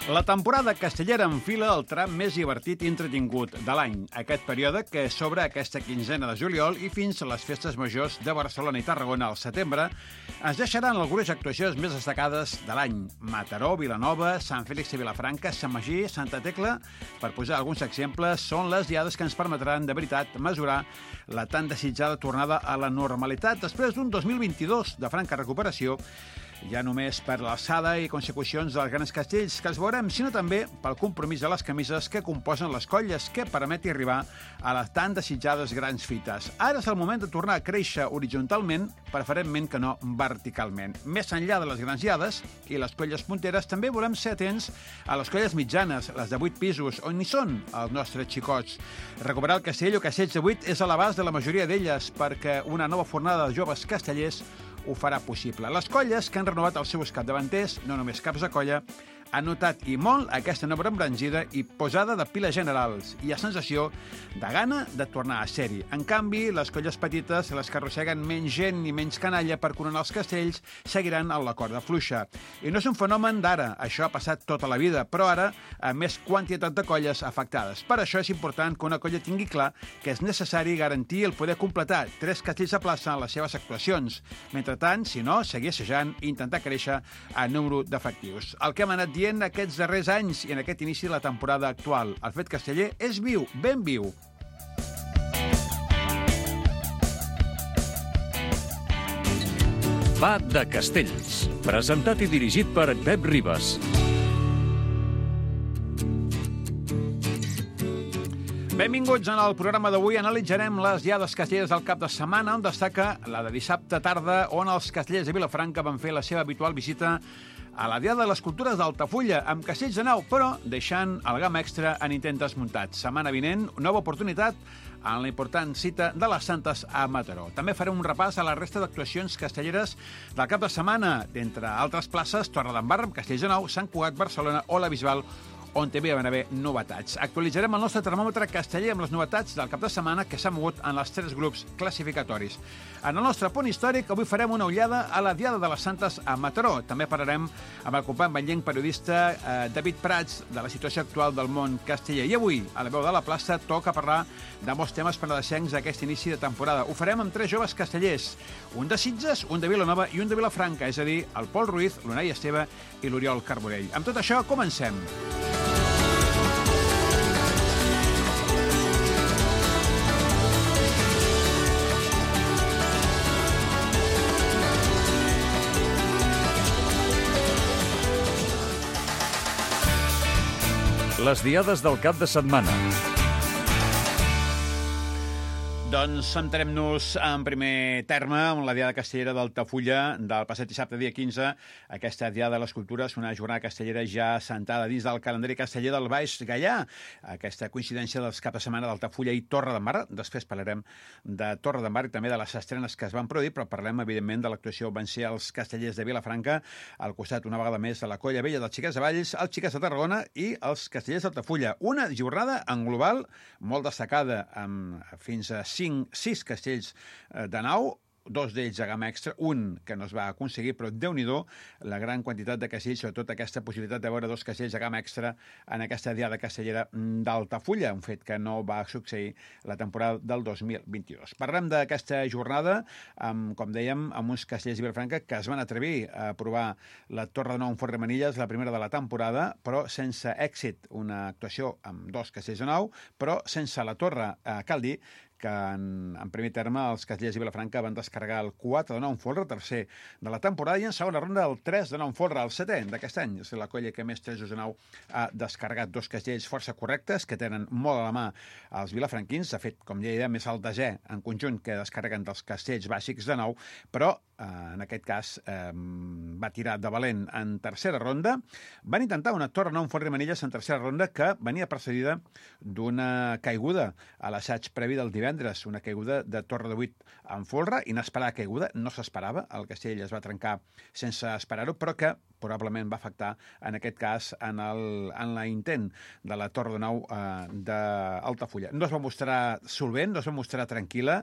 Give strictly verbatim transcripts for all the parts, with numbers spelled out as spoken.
La temporada castellera enfila el tram més divertit i entretingut de l'any. Aquest període que s'obre aquesta quinzena de juliol i fins a les festes majors de Barcelona i Tarragona al setembre es deixaran algunes actuacions més destacades de l'any. Mataró, Vilanova, Sant Fèlix i Vilafranca, Sant Magí, Santa Tecla, per posar alguns exemples, són les diades que ens permetran de veritat mesurar la tan desitjada tornada a la normalitat després d'un dos mil vint-i-dos de franca recuperació, ja només per l'alçada i consecucions dels grans castells que els veurem, sinó també pel compromís de les camises que composen les colles que permeti arribar a les tan desitjades grans fites. Ara és el moment de tornar a créixer horitzontalment, preferentment que no verticalment. Més enllà de les grans diades i les colles punteres, també volem ser atents a les colles mitjanes, les de vuit pisos, on hi són els nostres xicots. Recuperar el castell o castells de vuit és a l'abast de la majoria d'elles, perquè una nova fornada de joves castellers ho farà possible. Les colles que han renovat els seus capdavanters, no només caps de colla, han notat i molt aquesta nova embranzida i posada de piles generals. Hi ha sensació de gana de tornar a ser-hi. En canvi, les colles petites, les que arrosseguen menys gent i menys canalla per coronar els castells, seguiran a la corda fluixa. I no és un fenomen d'ara, això ha passat tota la vida, però ara amb més quantitat de colles afectades. Per això és important que una colla tingui clar que és necessari garantir el poder completar tres castells a plaça en les seves actuacions. Mentrestant, si no, seguir assajant i intentar créixer a número d'efectius. El que hem anat dient aquests darrers anys i en aquest inici de la temporada actual. El fet casteller és viu, ben viu. Va de Castells, presentat i dirigit per Pep Ribas. Benvinguts en el programa d'avui. Analitzarem les diades castelleres del cap de setmana, on destaca la de dissabte tarda, on els castellers de Vilafranca van fer la seva habitual visita a la Diada de les Cultures d'Altafulla, amb castells de nau, però deixant el gam extra en intents desmuntats. Setmana vinent, nova oportunitat en la important cita de les Santes a Mataró. També farem un repàs a la resta d'actuacions castelleres del cap de setmana, d'entre altres places, Torredembarra, Castells de Nou, Sant Cugat, Barcelona o la Bisbal, on també van haver novetats. Actualitzarem el nostre termòmetre casteller amb les novetats del cap de setmana que s'ha mogut en els tres grups classificatoris. En el nostre punt històric, avui farem una ullada a la Diada de les Santes a Mataró. També parlarem amb el company banyenc periodista eh, David Prats de la situació actual del món casteller. I avui, a la veu de la plaça, toca parlar de molts temes penedesencs d'aquest inici de temporada. Ho farem amb tres joves castellers, un de Sitges, un de Vilanova i un de Vilafranca, és a dir, el Pol Ruiz, l'Unai Esteve i l'Oriol Carbonell. Amb tot això, comencem. Les diades del cap de setmana. Doncs centrem-nos en primer terme en la Diada Castellera d'Altafulla del passat dissabte, dia quinze. Aquesta Diada de les Cultures, una jornada castellera ja assentada dins del calendari casteller del Baix Gaià. Aquesta coincidència dels cap de setmana d'Altafulla i Torredembarra. Després parlarem de Torredembarra i també de les estrenes que es van produir, però parlem, evidentment, de l'actuació van ser els castellers de Vilafranca, al costat, una vegada més, de la Colla Vella dels Xiquets de Valls, els Xiquets de Tarragona i els castellers d'Altafulla. Una jornada en global molt destacada, amb fins a cinc, sis castells de nau, dos d'ells a gamma extra, un que no es va aconseguir, però Déu-n'hi-do la gran quantitat de castells, sobretot aquesta possibilitat de veure dos castells a gamma extra en aquesta Diada castellera d'Altafulla, un fet que no va succeir la temporada del dos mil vint-i-dos. Parlem d'aquesta jornada, amb, com dèiem, amb uns castellers de Vilafranca que es van atrevir a provar la Torre de Nou en Font Remenilles, la primera de la temporada, però sense èxit, una actuació amb dos castells de nou, però sense la Torre, eh, cal dir que en, en primer terme els castellers de Vilafranca van descarregar el quatre de nou en folre, tercer de la temporada, i en segona ronda el tres de nou en folre, el setè d'aquest any. És la colla que més tres de nou ha descarregat dos castells força correctes, que tenen molt a la mà els vilafranquins. De fet, com ja deia, més el desè en conjunt que descarreguen dels castells bàsics de nou, però eh, en aquest cas eh, va tirar de valent en tercera ronda. Van intentar una Torre nou en Font Remenilles en tercera ronda que venia precedida d'una caiguda a l'assaig previ del divendres, una caiguda de Torre de vuit en folre, inesperada caiguda, no s'esperava, el castell es va trencar sense esperar-ho, però que probablement va afectar, en aquest cas, en, el, en l'intent de la Torre de Nou eh, d'Altafulla. No es va mostrar solvent, no es va mostrar tranquil·la,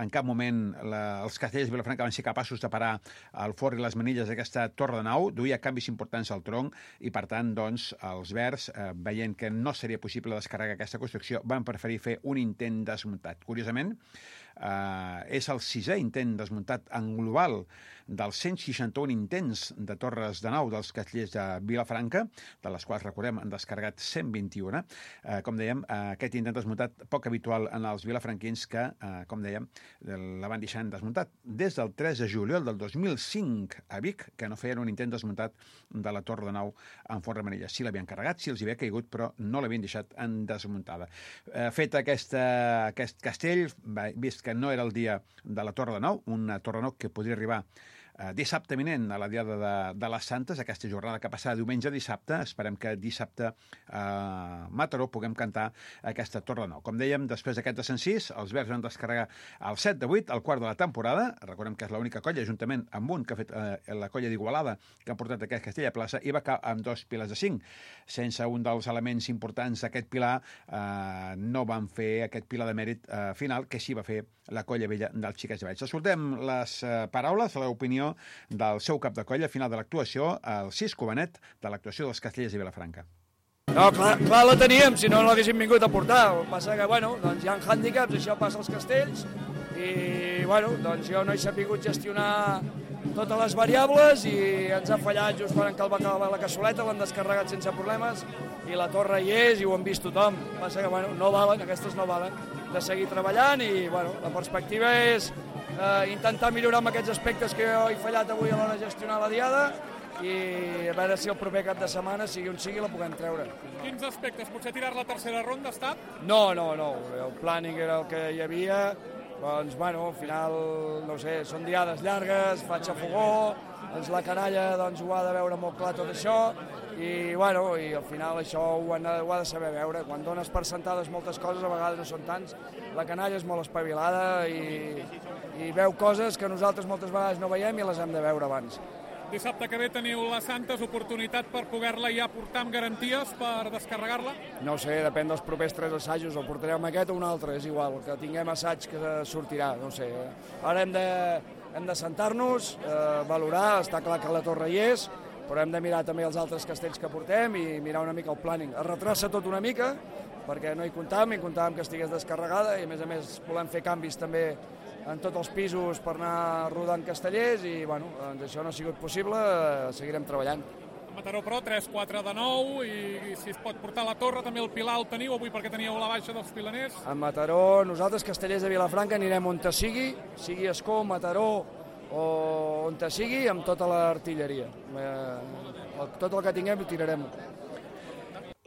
en cap moment la, els castellers de Vilafranca van ser capaços capaços de parar el forn i les manilles d'aquesta torre de nau, duia canvis importants al tronc i, per tant, doncs, els verds, eh, veient que no seria possible descarregar aquesta construcció, van preferir fer un intent desmuntat. Curiosament, eh, és el sisè intent desmuntat en global dels cent seixanta-un intents de torres de nau dels castellers de Vilafranca, de les quals, recordem, han descarregat cent vint-i-un. Eh, com dèiem, eh, aquest intent desmuntat poc habitual en els vilafranquins que, eh, com dèiem, la van deixar desmuntat. Des del tres de juliol del dos mil cinc a Vic, que no feien un intent desmuntat de la torre de nau en forn de manilles. Sí l'havien carregat, sí els hi havia caigut, però no l'havien deixat en desmuntada. Eh, fet aquesta, aquest castell, vist que no era el dia de la torre de nau, una torre de nau que podria arribar Uh, dissabte vinent, a la diada de, de les Santes, aquesta jornada que passarà diumenge a dissabte. Esperem que dissabte a uh, Mataró puguem cantar aquesta torre de nou. Com dèiem, després d'aquest descensís, els verds van descarregar el set de vuit, el quart de la temporada. Recordem que és l'única colla, juntament amb un, que ha fet uh, la colla d'Igualada, que ha portat aquest castell a plaça, i va acabar amb dos pilars de cinc. Sense un dels elements importants d'aquest pilar, uh, no van fer aquest pilar de mèrit uh, final, que sí va fer la colla vella dels Xiquets de Valls. Escoltem les uh, paraules, l'opinió del seu cap de colla a final de l'actuació, el Cisco Benet, de l'actuació dels castellers de Vilafranca. No, clar, clar la teníem, si no l'haguéssim vingut a portar. El que passa que, bueno, doncs hi ha hàndicaps, això passa als castells, i, bueno, doncs jo no he sabut gestionar totes les variables i ens ha fallat just quan cal va acabar la cassoleta, l'han descarregat sense problemes i la torre hi és i ho han vist tothom. El que passa que, bueno, no valen, aquestes no valen, de seguir treballant i, bueno, la perspectiva és eh, intentar millorar amb aquests aspectes que jo he fallat avui a l'hora de gestionar la diada i a veure si el proper cap de setmana, sigui on sigui, la puguem treure. Quins aspectes? Potser tirar la tercera ronda, ha estat? No, no, no. El planning era el que hi havia. Doncs, bueno, al final, no sé, són diades llargues, faig a fogó, doncs la canalla doncs, ho ha de veure molt clar tot això, i, bueno, i al final això ho, han, ho ha de saber veure. Quan dones per sentades moltes coses, a vegades no són tants. La canalla és molt espavilada i, i veu coses que nosaltres moltes vegades no veiem i les hem de veure abans. Dissabte que ve teniu les Santes, oportunitat per poder-la ja portar amb garanties per descarregar-la? No sé, depèn dels propers tres assajos, el portarem aquest o un altre, és igual, que tinguem assaig que sortirà, no sé. Ara hem de, hem de sentar-nos, eh, valorar, està clar que la torre hi és, però hem de mirar també els altres castells que portem i mirar una mica el planning. Es retrassa tot una mica, perquè no hi comptàvem, hi comptàvem que estigués descarregada i, a més a més, volem fer canvis també en tots els pisos per anar rodant castellers i, bueno, doncs això no ha sigut possible, seguirem treballant. A Mataró, però, tres quatre de nou i, i si es pot portar la torre, també el pilar el teniu avui perquè teníeu la baixa dels pilaners. A Mataró, nosaltres, castellers de Vilafranca, anirem on te sigui, sigui Escó, Mataró o on te sigui, amb tota l'artilleria. Eh, tot el que tinguem ho tirarem.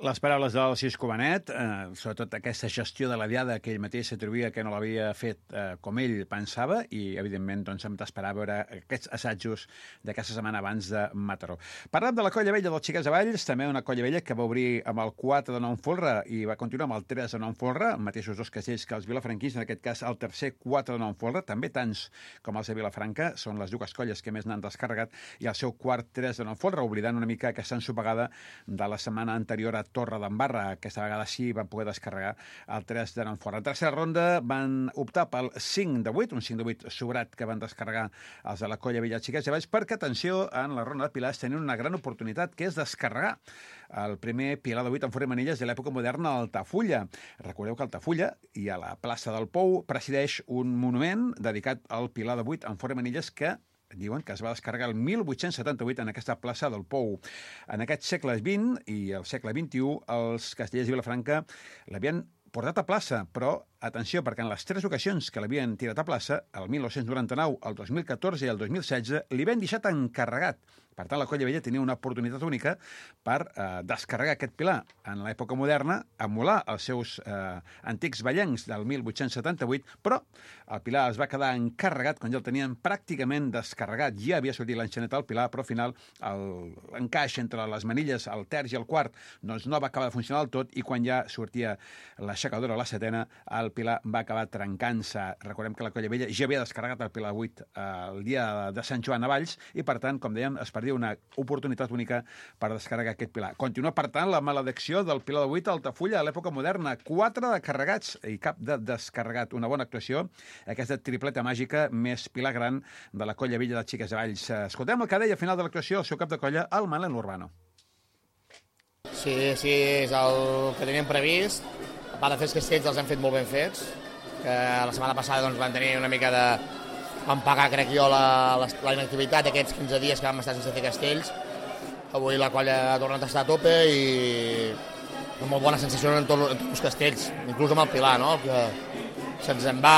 Les paraules del Cisco Benet, eh, sobretot aquesta gestió de la diada que ell mateix s'atribuïa que no l'havia fet eh, com ell pensava i, evidentment, doncs, hem d'esperar a veure aquests assajos d'aquesta setmana abans de Mataró. Parlem de la colla vella dels Xiquets de Valls, també una colla vella que va obrir amb el quatre de nou en folre i va continuar amb el tres de nou en folre, mateixos dos castells que els vilafranquins, en aquest cas el tercer quatre de nou en folre, també tants com els de Vilafranca, són les dues colles que més n'han descarregat, i el seu quart tres de nou en folre, oblidant una mica aquesta ensopegada de la setmana anterior a Torre d'Embarra. Aquesta vegada sí van poder descarregar el tres de nou en folre. En tercera ronda van optar pel cinc de vuit, un cinc de vuit sobrat que van descarregar els de la colla vella Xiquets de Valls, perquè, atenció, en la ronda de pilars tenien una gran oportunitat, que és descarregar el primer pilar de vuit en forn de manilles de l'època moderna, Altafulla. Recordeu que Altafulla, i a la plaça del Pou, presideix un monument dedicat al pilar de vuit en forn de manilles que diuen que es va descarregar el mil vuit-cents setanta-vuit en aquesta plaça del Pou. En aquest segle vint i el segle vint-i-u, els castellers de Vilafranca l'havien portat a plaça, però, atenció, perquè en les tres ocasions que l'havien tirat a plaça, el mil nou-cents noranta-nou, el dos mil catorze i el dos mil setze, li havien deixat encarregat. Per tant, la colla vella tenia una oportunitat única per eh, descarregar aquest pilar en l'època moderna, emular els seus eh, antics ballencs del mil vuit-cents setanta-vuit, però el pilar es va quedar encarregat quan ja el tenien pràcticament descarregat. Ja havia sortit l'enxaneta al pilar, però al final l'encaix entre les manilles, el terç i el quart, doncs no va acabar de funcionar del tot, i quan ja sortia l'aixecadora, la setena, el el Pilar va acabar trencant-se. Recordem que la Colla Vella ja havia descarregat el Pilar vuit el dia de Sant Joan a Valls i, per tant, com dèiem, es perdia una oportunitat única per descarregar aquest Pilar. Continua, per tant, la maledicció del Pilar de vuit a Altafulla a l'època moderna. Quatre de carregats i cap de descarregat. Una bona actuació, aquesta tripleta màgica més Pilar gran de la Colla Vella de Xiques de Valls. Escoltem el que deia al final de l'actuació el seu cap de colla, el Manel Urbano. Sí, sí, és el que teníem previst. A part de fer els castells els hem fet molt ben fets, que la setmana passada doncs, van tenir una mica de... van pagar, crec jo, la, la, la inactivitat d'aquests quinze dies que vam estar sense fer castells. Avui la colla ha tornat a estar a tope i amb molt bona sensació en, tot, en tots els castells, inclús amb el Pilar, no? Que se'ns en va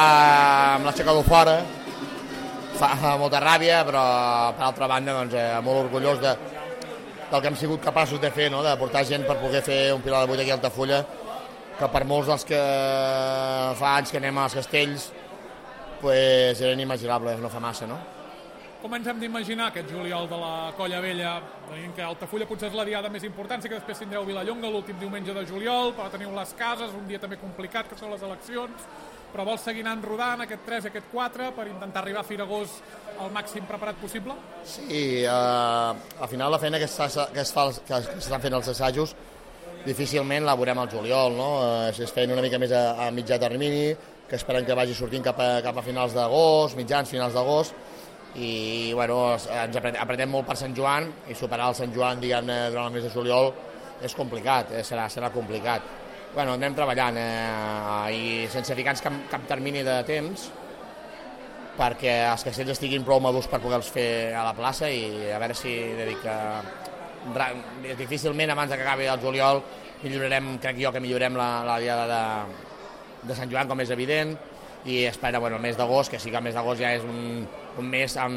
amb l'aixecador fora, fa molta ràbia, però per altra banda doncs, eh, molt orgullós de, del que hem sigut capaços de fer, no? De portar gent per poder fer un Pilar de vuit aquí a Altafulla, que per molts dels que fa anys que anem als castells pues, era inimaginable, no fa massa, no? Com ens hem d'imaginar aquest juliol de la Colla Vella? Veient que Altafulla potser és la diada més important, sí que després tindreu Vilallonga l'últim diumenge de juliol, però teniu les cases, un dia també complicat, que són les eleccions, però vols seguir anant rodant aquest tres i aquest quatre per intentar arribar a Firagós al màxim preparat possible? Sí, eh, al final la feina que s'estan fent els assajos difícilment la veurem al juliol, no? Eh, es feien una mica més a, a mitjà termini, que esperem que vagi sortint cap a, cap a finals d'agost, mitjans, finals d'agost, i bueno, ens apretem molt per Sant Joan i superar el Sant Joan diguem-ne durant el mes de juliol és complicat, eh, serà, serà complicat. Bueno, anem treballant eh, i sense ficar-nos cap, cap termini de temps perquè els castells estiguin prou madurs per poder-los fer a la plaça i a veure si dedica... difícilment abans que acabi el juliol millorarem, crec jo que millorem la, la diada de, de Sant Joan, com és evident, i espera, bueno, el mes d'agost, que sí que el mes d'agost ja és un, un mes amb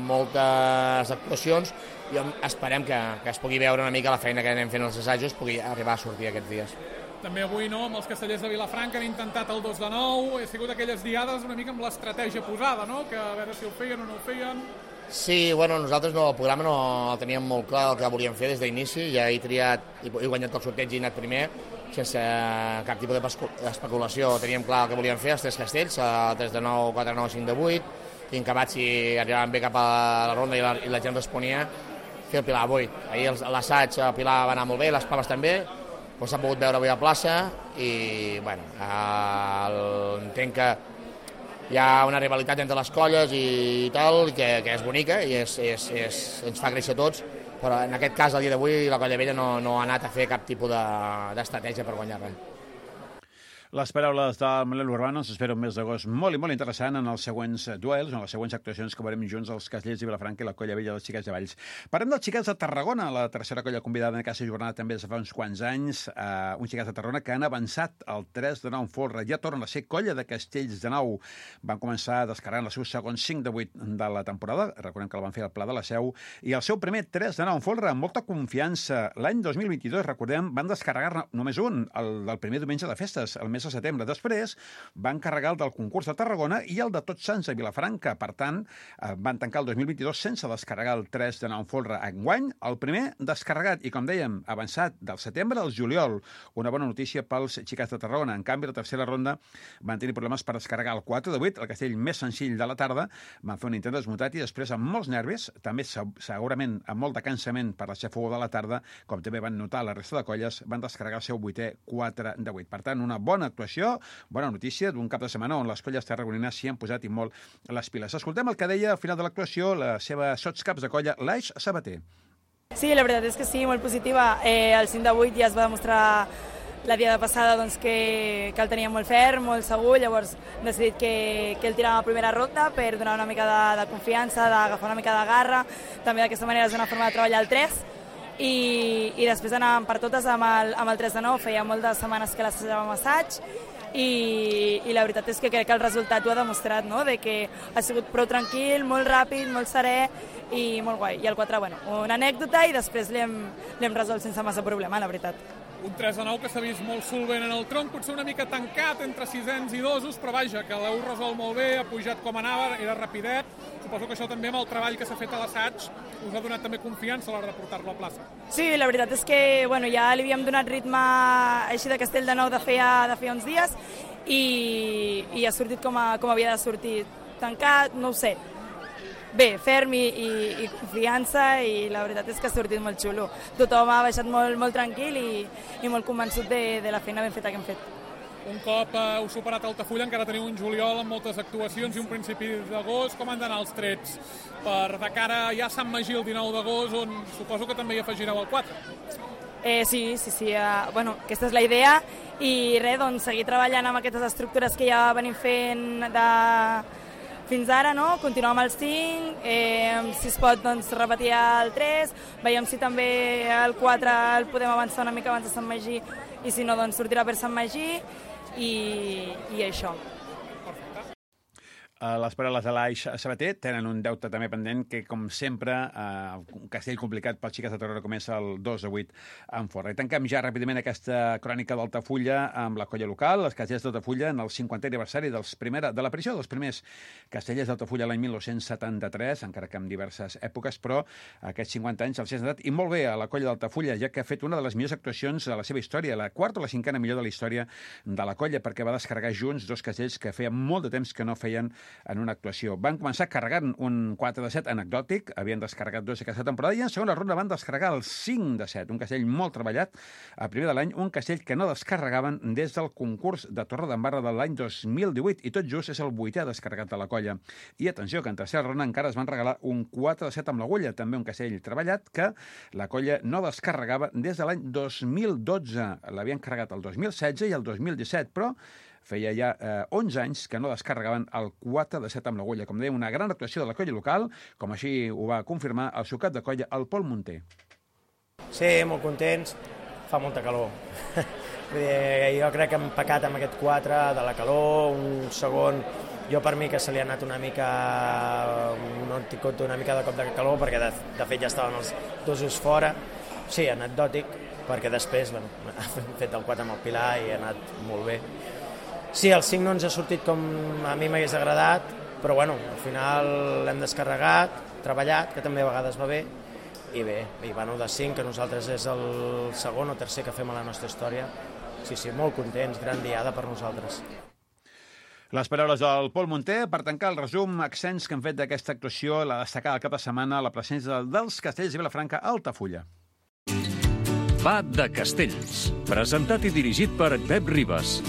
moltes actuacions i esperem que, que es pugui veure una mica la feina que anem fent els assajos pugui arribar a sortir aquests dies. També avui, no?, amb els castellers de Vilafranca han intentat el dos de nou, he sigut aquelles diades una mica amb l'estratègia posada, no?, que a veure si ho feien o no ho feien. Sí, bueno, nosaltres no, el programa no el teníem molt clar el que volíem fer des d'inici, ja he triat, he guanyat el sorteig i he anat primer, sense cap tipus d'especulació. Teníem clar el que volíem fer, els tres castells, el tres de nou, quatre de nou, cinc de vuit, i acabat si arribaven bé cap a la ronda i la, i la gent responia, fer el Pilar vuit. Ahir l'assaig, el Pilar va anar molt bé, les proves també, doncs s'ha pogut veure avui a plaça i, bueno, el, entenc que hi ha una rivalitat entre les colles i tal, que, que és bonica i és, és, és, ens fa créixer tots, però en aquest cas, el dia d'avui, la Colla Vella no, no ha anat a fer cap tipus d'estratègia per guanyar res. Les paraules del Manel Urbano ens espera un mes d'agost molt i molt interessant en els següents duels, en les següents actuacions que veurem junts els castellers de Vilafranca i la Colla Vella dels Xiquets de Valls. Parlem dels Xiquets de Tarragona, la tercera colla convidada en aquesta jornada també des de fa uns quants anys, eh, uns Xiquets de Tarragona que han avançat al tres de nou en folre, ja tornen a ser colla de castells de nou. Van començar descarregant el seu segon cinc de vuit de la temporada, recordem que el van fer al Pla de la Seu, i el seu primer tres de nou en folre amb molta confiança. L'any dos mil vint-i-dos, recordem, van descarregar només un, el del primer diumenge de festes, el mes de setembre. Després van carregar el del concurs de Tarragona i el de Tots Sants a Vilafranca. Per tant, van tancar el dos mil vint-i-dos sense descarregar el tres de nou en folre. Enguany, el primer descarregat i, com dèiem, avançat del setembre al juliol. Una bona notícia pels Xiquets de Tarragona. En canvi, la tercera ronda van tenir problemes per descarregar el quatre de vuit, el castell més senzill de la tarda. Van fer un intent desmutat i després, amb molts nervis, també segurament amb molt de cansament per la xafogó de la tarda, com també van notar la resta de colles, van descarregar el seu vuitè quatre de vuit. Per tant, una bona actuació, bona notícia d'un cap de setmana on les colles tarragonines s'hi han posat i molt les piles. Escoltem el que deia al final de l'actuació la seva sotscaps de colla, l'Aix Sabater. Sí, la veritat és que sí, molt positiva. Eh, el cinc de vuit ja es va demostrar la diada passada doncs, que, que el tenia molt ferm, molt segur, llavors hem decidit que, que el tiràvem a primera ronda per donar una mica de, de confiança, d'agafar una mica de garra, també d'aquesta manera és una forma de treballar el tres, i, i després anàvem per totes amb el, amb el tres de nou, feia moltes setmanes que l'assajàvem assaig, i, i la veritat és que crec que el resultat ho ha demostrat, no? De que ha sigut prou tranquil, molt ràpid, molt serè i molt guai. I el quatre, bueno, una anècdota i després l'hem resolt sense massa problema, la veritat. Un tres de nou que s'ha vist molt solvent en el tronc, potser una mica tancat entre sisens i dosos, però vaja, que l'heu resolt molt bé, ha pujat com anava, era rapidet. Suposo que això també amb el treball que s'ha fet a l'assaig us ha donat també confiança a l'hora de portar-lo a plaça. Sí, la veritat és que bueno, ja li havíem donat ritme així de Castell de Nou de feia, de feia uns dies i, i ha sortit com, a, com havia de sortir. Tancat, no ho sé. Bé, ferm i, i, i confiança i la veritat és que ha sortit molt xulo. Tothom ha baixat molt, molt tranquil i, i molt convençut de, de la feina ben feta que hem fet. Un cop eh, heu superat Altafulla, encara teniu un juliol amb moltes actuacions i un principi d'agost. Com han d'anar els trets per de cara ja a Sant Magí el dinou d'agost, on suposo que també hi afegireu el quatre? Eh, sí, sí, sí. Eh, bueno, aquesta és la idea i res, doncs, seguir treballant amb aquestes estructures que ja venim fent de... fins ara, no? Continuar amb el cinc, eh, si es pot doncs, repetir el tres, veiem si també el quatre el podem avançar una mica abans de Sant Magí i si no, doncs sortirà per Sant Magí i, i això. Les paraules de l'Aix Sabater tenen un deute també pendent que, com sempre, eh, un castell complicat pels xiques de Torrero comença el dos a vuit en Forra. I tanquem ja ràpidament aquesta crònica d'Altafulla amb la colla local, els castellers d'Altafulla en el cinquantè aniversari dels primera, de l'aparició dels primers castellers d'Altafulla l'any mil nou-cents setanta-tres, encara que en diverses èpoques, però aquests cinquanta anys els han anat i molt bé a la colla d'Altafulla, ja que ha fet una de les millors actuacions de la seva història, la quarta o la cinquena millor de la història de la colla, perquè va descarregar junts dos castells que feia molt de temps que no feien en una actuació. Van començar carregant un quatre de set anecdòtic, havien descarregat dos aquesta temporada, i en segona ronda van descarregar el cinc de set, un castell molt treballat a primer de l'any, un castell que no descarregaven des del concurs de Torredembarra de l'any dos mil divuit, i tot just és el vuitè descarregat de la colla. I atenció, que en tercera ronda encara es van regalar un quatre de set amb l'agulla, també un castell treballat que la colla no descarregava des de l'any dos mil dotze. L'havien carregat el dos mil setze i el dos mil disset, però feia ja eh, onze anys que no descarregaven el quatre de set amb l'agulla. Com dèiem, una gran actuació de la colla local, com així ho va confirmar el seu cap de colla, el Pol Munter. Sí, molt contents. Fa molta calor. Jo crec que hem pecat amb aquest quatre de la calor, un segon... Jo per mi que se li ha anat una mica, no tinc compte una mica de cop de calor, perquè de, de fet ja estaven els dosos fora. Sí, anecdòtic, perquè després bueno, hem fet el quatre amb el Pilar i ha anat molt bé. Sí, el cinc no ens ha sortit com a mi m'hagués agradat, però bueno, al final l'hem descarregat, treballat, que també a vegades va bé, i bé, i bueno, de cinc, que nosaltres és el segon o tercer que fem a la nostra història. Sí, sí, molt contents, gran diada per nosaltres. Les paraules del Pol Munter per tancar el resum extens que han fet d'aquesta actuació, la destacada cap de setmana, la presència dels castells de Vilafranca a Altafulla. Va de Castells, presentat i dirigit per Pep Ribas.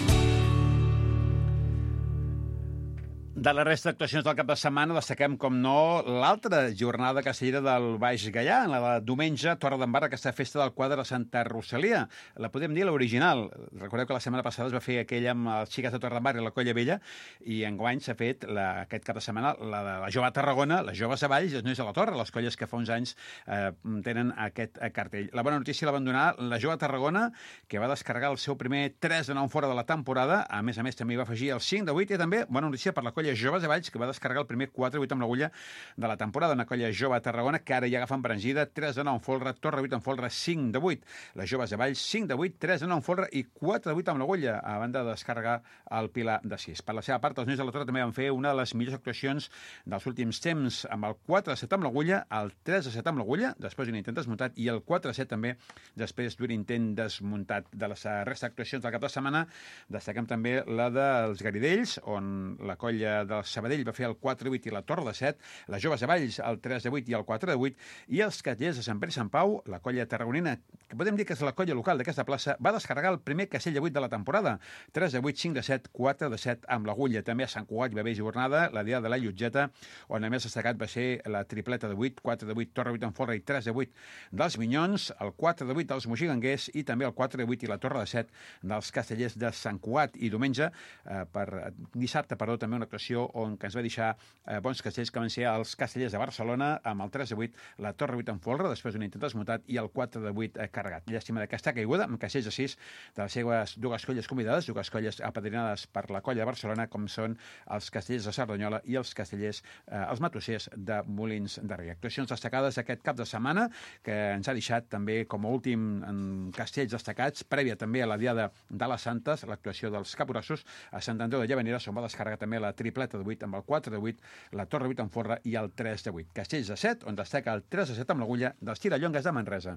De la resta d'actuacions del cap de setmana destaquem, com no, l'altra jornada castellera del Baix Gaià, en la de diumenge, Torredembarra, aquesta festa del quadre de Santa Rosalia. La podem dir l'original. Recordeu que la setmana passada es va fer aquella amb els xiques de Torredembarra i la Colla Vella, i enguany s'ha fet la, aquest cap de setmana la de la Jove Tarragona, les Joves de Valls i els Nois de la Torre, les colles que fa uns anys eh, tenen aquest eh, cartell. La bona notícia la van donar la Jove Tarragona, que va descarregar el seu primer tres de nou fora de la temporada. A més a més, també va afegir el cinc de vuit, i també bona notícia per la colla Joves de Valls, que va descarregar el primer quatre vuit amb l'agulla de la temporada. Una colla jove a Tarragona que ara ja agafen embranzida, tres de nou en folre, Torre vuit en folre, cinc de vuit. Les Joves de Valls, cinc de vuit, tres de nou en folre i quatre de vuit amb l'agulla, a banda de descarregar el Pilar de sis. Per la seva part, els Nois de la Torre també van fer una de les millors actuacions dels últims temps, amb el quatre de set amb l'agulla, el tres de set amb l'agulla, després d'un intent desmuntat, i el quatre de set també després d'un intent desmuntat. De les resta d'actuacions del cap de setmana destaquem també la dels Garidells, on la colla dels Sabadell va fer el quatre de vuit i la Torre de set, les Joves de Valls el tres de vuit i el quatre de vuit, i els castellers de Sant Pere i Sant Pau, la colla tarragonina, que podem dir que és la colla local d'aquesta plaça, va descarregar el primer castell de vuit de la temporada, tres de vuit, cinc de set, quatre de set amb l'agulla. També a Sant Cugat hi va haver jornada, la dia de la Llotgeta, on a més destacat va ser la tripleta de vuit, quatre de vuit, Torre vuit en folre i tres de vuit dels Minyons, el quatre de vuit dels Moxiganguers i també el quatre de vuit i la Torre de set dels castellers de Sant Cugat. I diumenge, eh, per dissabte, perdó, també una actuació actuació on que ens va deixar eh, bons castells, que van ser els Castellers de Barcelona, amb el tres de vuit, la Torre vuit en folre, després d'un intent desmutat, i el quatre de vuit eh, carregat. Llàstima d'aquesta caiguda, amb castells de sis de les seves dues colles convidades, dues colles apadrinades per la colla de Barcelona, com són els Castellers de Cerdanyola i els Castellers, eh, els Matossers de Molins de Rei. Actuacions destacades aquest cap de setmana, que ens ha deixat també com a últim en castells destacats, prèvia també a la Diada de les Santes, l'actuació dels Capgrossos a Sant Andreu de Llavaneres, on va descarregar també la tripleta de vuit amb el quatre de vuit, la Torre vuit en folre i el tres de vuit. Castells de set, on destaca el tres de set amb l'agulla dels Tirallongues de Manresa.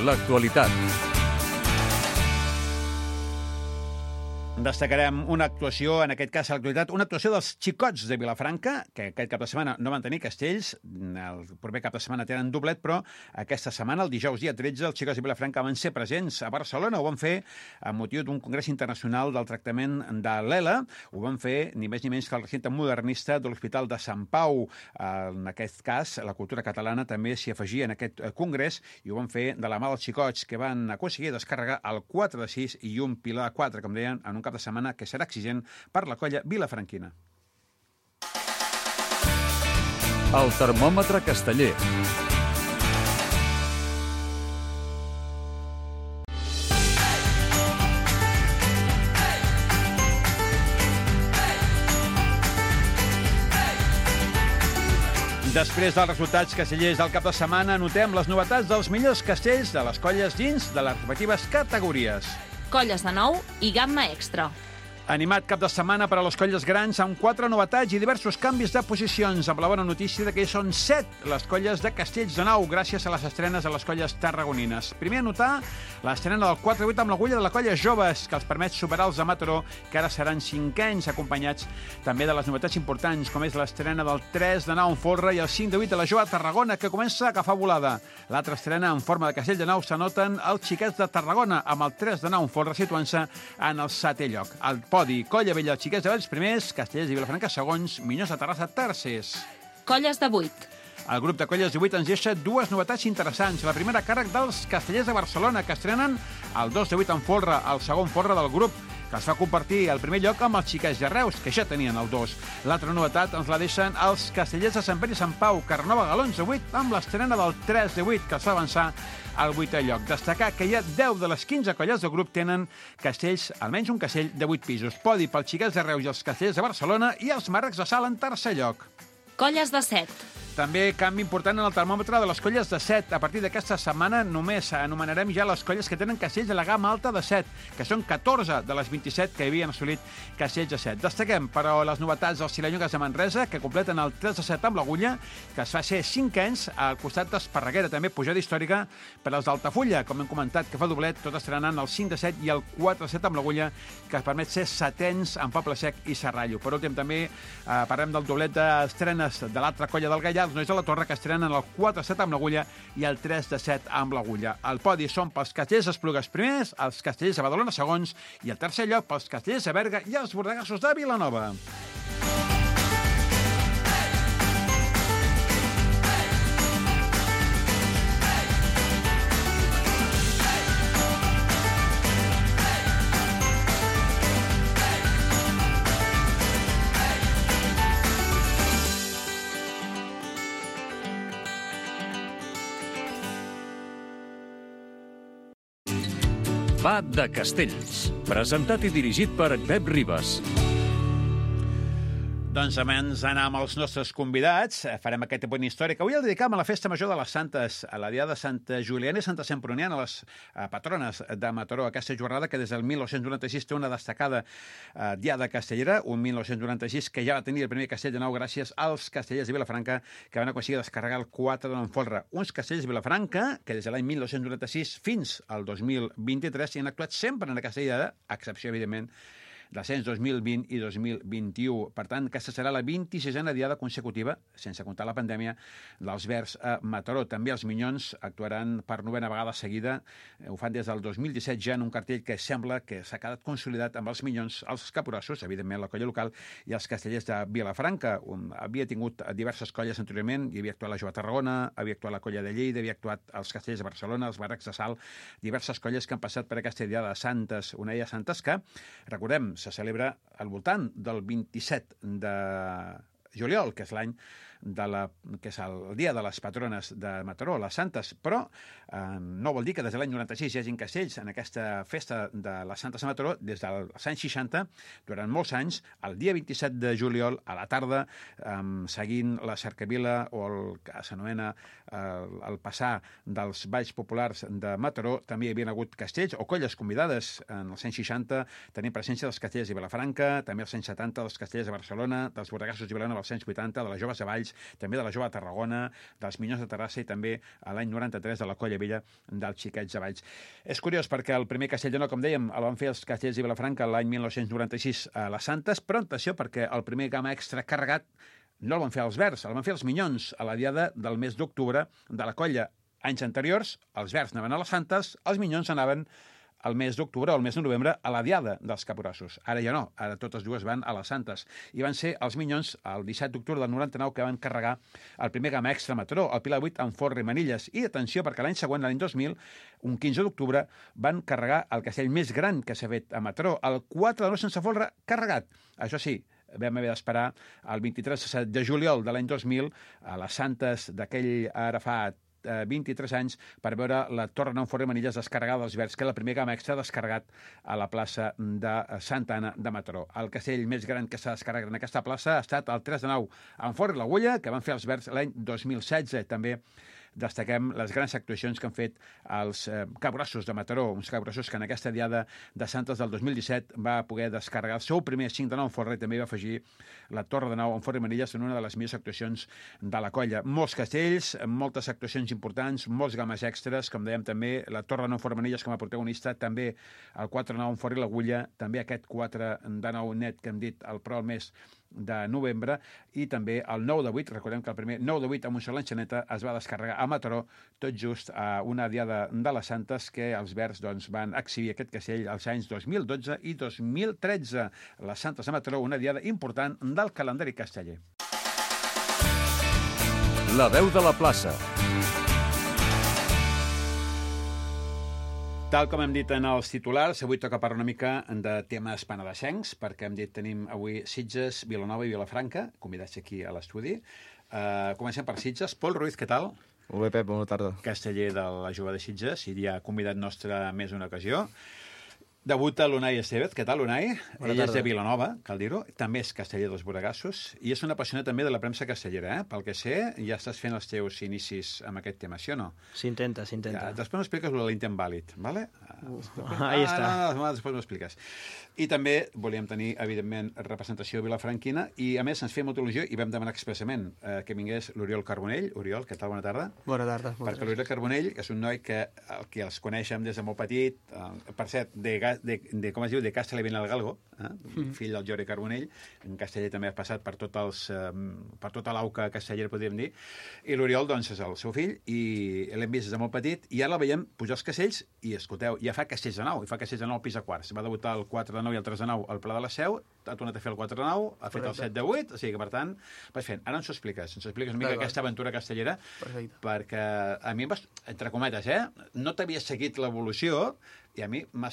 L'actualitat. Destacarem una actuació, en aquest cas a l'actualitat, una actuació dels xicots de Vilafranca, que aquest cap de setmana no van tenir castells, el proper cap de setmana tenen doblet, però aquesta setmana, el dijous dia tretze, els xicots de Vilafranca van ser presents a Barcelona, ho van fer amb motiu d'un congrés internacional del tractament de l'E L A, ho van fer ni més ni menys que el recinte modernista de l'Hospital de Sant Pau. En aquest cas, la cultura catalana també s'hi afegia en aquest congrés i ho van fer de la mà dels xicots, que van aconseguir descarregar el quatre de sis i un pilar de quatre, com deien, en un cap de setmana que serà exigent per la colla vilafranquina. El termòmetre casteller. Després dels resultats castellers del cap de setmana, notem les novetats dels millors castells de les colles dins de les respectives categories. Colles de nou i gamma extra. Animat cap de setmana per a les colles grans amb quatre novetats i diversos canvis de posicions, amb la bona notícia de que són set les colles de castells de nou gràcies a les estrenes a les colles tarragonines. Primer a notar l'estrena del quatre vuit amb l'agulla de la colla Joves, que els permet superar els de Mataró, que ara seran cinquens, acompanyats també de les novetats importants, com és l'estrena del tres de nou en folre i el cinc de vuit de la Jove a Tarragona, que comença a agafar volada. L'altra estrena en forma de castell de nou s'anoten els xiquets de Tarragona, amb el tres de nou en folre situant-se en el setè lloc. El podi, Colla Vella, Xiquets de Valls primers, Castellers i Vilafranca segons, Minyons de Terrassa tercers. Colles de vuit. El grup de colles de vuit ens deixa dues novetats interessants. La primera a càrrec dels Castellers de Barcelona, que estrenen el dos de vuit en folre, el segon folre del grup, que es va compartir el primer lloc amb els Xiquets de Reus, que ja tenien el dos. L'altra novetat ens la deixen els Castellers de Sant Pere i Sant Pau, que renova l'onze de vuit amb l'estrena del tres de vuit, que es va avançar al vuitè lloc. Destacar que hi ha deu de les quinze colles del grup tenen castells, almenys un castell de vuit pisos. Podi pels Xiquets de Reus i els Castellers de Barcelona i els Marrecs de Salt en tercer lloc. Colles de set. També canvi important en el termòmetre de les colles de set. A partir d'aquesta setmana només anomenarem ja les colles que tenen castells de la gamma alta de set, que són catorze de les vint-i-set que havien assolit castells de set. Destaquem, però, les novetats dels Tirallongues de Manresa, que completen el tres de set amb l'agulla, que es fa ser cinquens al costat d'Esparreguera, també pujada històrica per als d'Altafulla, com hem comentat, que fa doblet, tot estrenant el cinc de set i el quatre de set amb l'agulla, que es permet ser setens en Poble Sec i Serrallo. Per últim, també eh, parlem del doblet d'estrenes de l'altra colla del Gaià, els Nois de la Torre, que estrenen el quatre de set amb l'agulla i el tres de set amb l'agulla. El podi són pels Castellers d'Esplugues primers, els Castellers de Badalona segons i el tercer lloc pels Castellers de Berga i els Bordegassos de Vilanova. Va de Castells, presentat i dirigit per Pep Ribas. Doncs abans d'anar amb els nostres convidats, farem aquest punt històric. Avui el dedicam a la Festa Major de les Santes, a la Diada de Santa Juliana i Santa Semproniana, les eh, patrones de Mataró. Aquesta jornada que des del mil nou-cents noranta-sis té una destacada eh, Diada castellera, un mil nou-cents noranta-sis que ja va tenir el primer castell de nou gràcies als castellers de Vilafranca, que van aconseguir descarregar el quatre de nou en folre. Uns castellers de Vilafranca que des de l'any mil nou-cents noranta-sis fins al dos mil vint-i-tres hi han actuat sempre en aquesta Diada, a excepció, evidentment, descens dos mil vint i dos mil vint-i-u. Per tant, aquesta serà la vint-i-sisena diada consecutiva, sense comptar la pandèmia, dels Verds a Mataró. També els Minyons actuaran per novena vegada seguida. Ho fan des del dos mil disset ja en un cartell que sembla que s'ha quedat consolidat amb els Minyons, els Capgrossos, evidentment la colla local, i els Castellers de Vilafranca. Un, havia tingut diverses colles anteriorment, hi havia actuat la Jove Tarragona, havia actuat la colla de Lleida, havia actuat els Castellers de Barcelona, els Barracs de Salt, diverses colles que han passat per aquesta diada de Santes, una de Santes que, recordem, se celebra al voltant del vint-i-set de juliol, que és l'any de la, que és el dia de les patrones de Mataró, les Santes, però eh, no vol dir que des de l'any noranta-sis hi hagi castells en aquesta festa de les Santes a Mataró des dels anys seixanta, durant molts anys, el dia vint-i-set de juliol, a la tarda, eh, seguint la cercavila o el que s'anomena eh, el passar dels balls populars de Mataró, també hi havia hagut castells o colles convidades en els anys seixanta, tenint presència dels castellers de Vilafranca, també als anys setanta dels castellers de Barcelona, dels Borregassos de Vilanova als anys vuitanta, de les Joves de Valls, també de la Jove Tarragona, dels Minyons de Terrassa i també a l'any noranta-tres de la Colla Vella dels Xiquets de Valls. És curiós perquè el primer castell de nou, com dèiem, el van fer els castellers de Vilafranca l'any mil nou-cents noranta-sis a les Santes, però atenció perquè el primer gamma extra carregat no el van fer els Verds, el van fer els Minyons a la diada del mes d'octubre de la colla. Anys anteriors, els Verds anaven a les Santes, els Minyons anaven el mes d'octubre o el mes de novembre a la diada dels Capgrossos. Ara ja no, ara totes dues van a les Santes. I van ser els Minyons el disset d'octubre del noranta-nou que van carregar el primer gamma extra Mataró, el Pilar vuit amb Forra i Manilles. I atenció, perquè l'any següent, l'any dos mil, un quinze d'octubre, van carregar el castell més gran que s'ha fet a Mataró, el quatre de nou sense folre carregat. Això sí, vam haver d'esperar el vint-i-tres de juliol de l'any dos mil a les Santes d'aquell ara fa vint-i-tres anys per veure la Torre Nou Forra i Manilles descarregada dels Verds, que és la primera gamma extra descarregat a la plaça de Santa Anna de Mataró. El castell més gran que s'ha descarregat en aquesta plaça ha estat el tres de nou amb Forra i l'Agulla, que van fer els Verds l'any dos mil setze. També destaquem les grans actuacions que han fet els eh, Capgrossos de Mataró, uns Capgrossos que en aquesta diada de Santes del dos mil disset va poder descarregar el seu primer cinc de nou en Forra i també va afegir la Torre de Nou en Forra i Manilles en una de les millors actuacions de la colla. Molts castells, moltes actuacions importants, molts games extras, com dèiem també, la Torre de Nou en Forra i Manilles com a protagonista, també el quatre de nou en Forra i l'Agulla, també aquest quatre de nou net que hem dit el pro al mes de novembre, i també el nou de vuit, recordem que el primer nou de vuit amb un sol enxaneta es va descarregar a Mataró, tot just a una diada de les Santes que els Verds doncs, van exhibir aquest castell als anys dos mil dotze i dos mil tretze. Les Santes de Mataró, una diada important del calendari casteller. La veu de la plaça. Tal com hem dit en els titulars, avui toca parlar una mica de temes penedesencs, perquè hem dit tenim avui Sitges, Vilanova i Vilafranca, convidats aquí a l'estudi. Uh, comencem per Sitges. Pol Ruiz, què tal? Molt bé, Pep, bona tarda. Casteller de la Jove de Sitges, i ja convidat nostre més d'una ocasió. Debuta l'Unai Estevez. Què tal, Unai? Bona Ell tarda. És de Vilanova, cal dir-ho. També és casteller dels Borregassos i és un apassionat també de la premsa castellera, eh? Pel que sé, ja estàs fent els teus inicis amb aquest tema, sí o no? S'intenta, s'intenta. Ja, després m'expliques l'intent vàlid, ¿vale? Uh, ahí ah, està. No, no, després m'expliques. I també volíem tenir, evidentment, representació vilafranquina i, a més, ens feia molta il·lusió i vam demanar expressament eh, que vingués l'Oriol Carbonell. Oriol, què tal? Bona tarda. Bona tarda. Perquè l'Oriol Carbonell és un noi que, el que els coneixem des de molt petit, eh, per cert, de, de, de, com es diu, de Castellavent al Galgo, eh? Mm. Fill del Jordi Carbonell, en casteller també ha passat per, tot els, eh, per tota l'auca castellera, podríem dir, i l'Oriol, doncs, és el seu fill, i l'hem vist des de molt petit, i ara la veiem pujar els castells, i escolteu, ja fa castells de nou, i fa castells de nou al pis a quarts. Va debutar el quatre de nou i el tres de nou al Pla de la Seu, ha tornat a fer el quatre de nou, ha fet el set de vuit, o sigui que, per tant, vas fent. Ara ens ho expliques, ens ho expliques una mica Perfecte. Aquesta aventura castellera, Perfecte. Perquè a mi, entre cometes, eh, no t'havia seguit l'evolució, i a mi em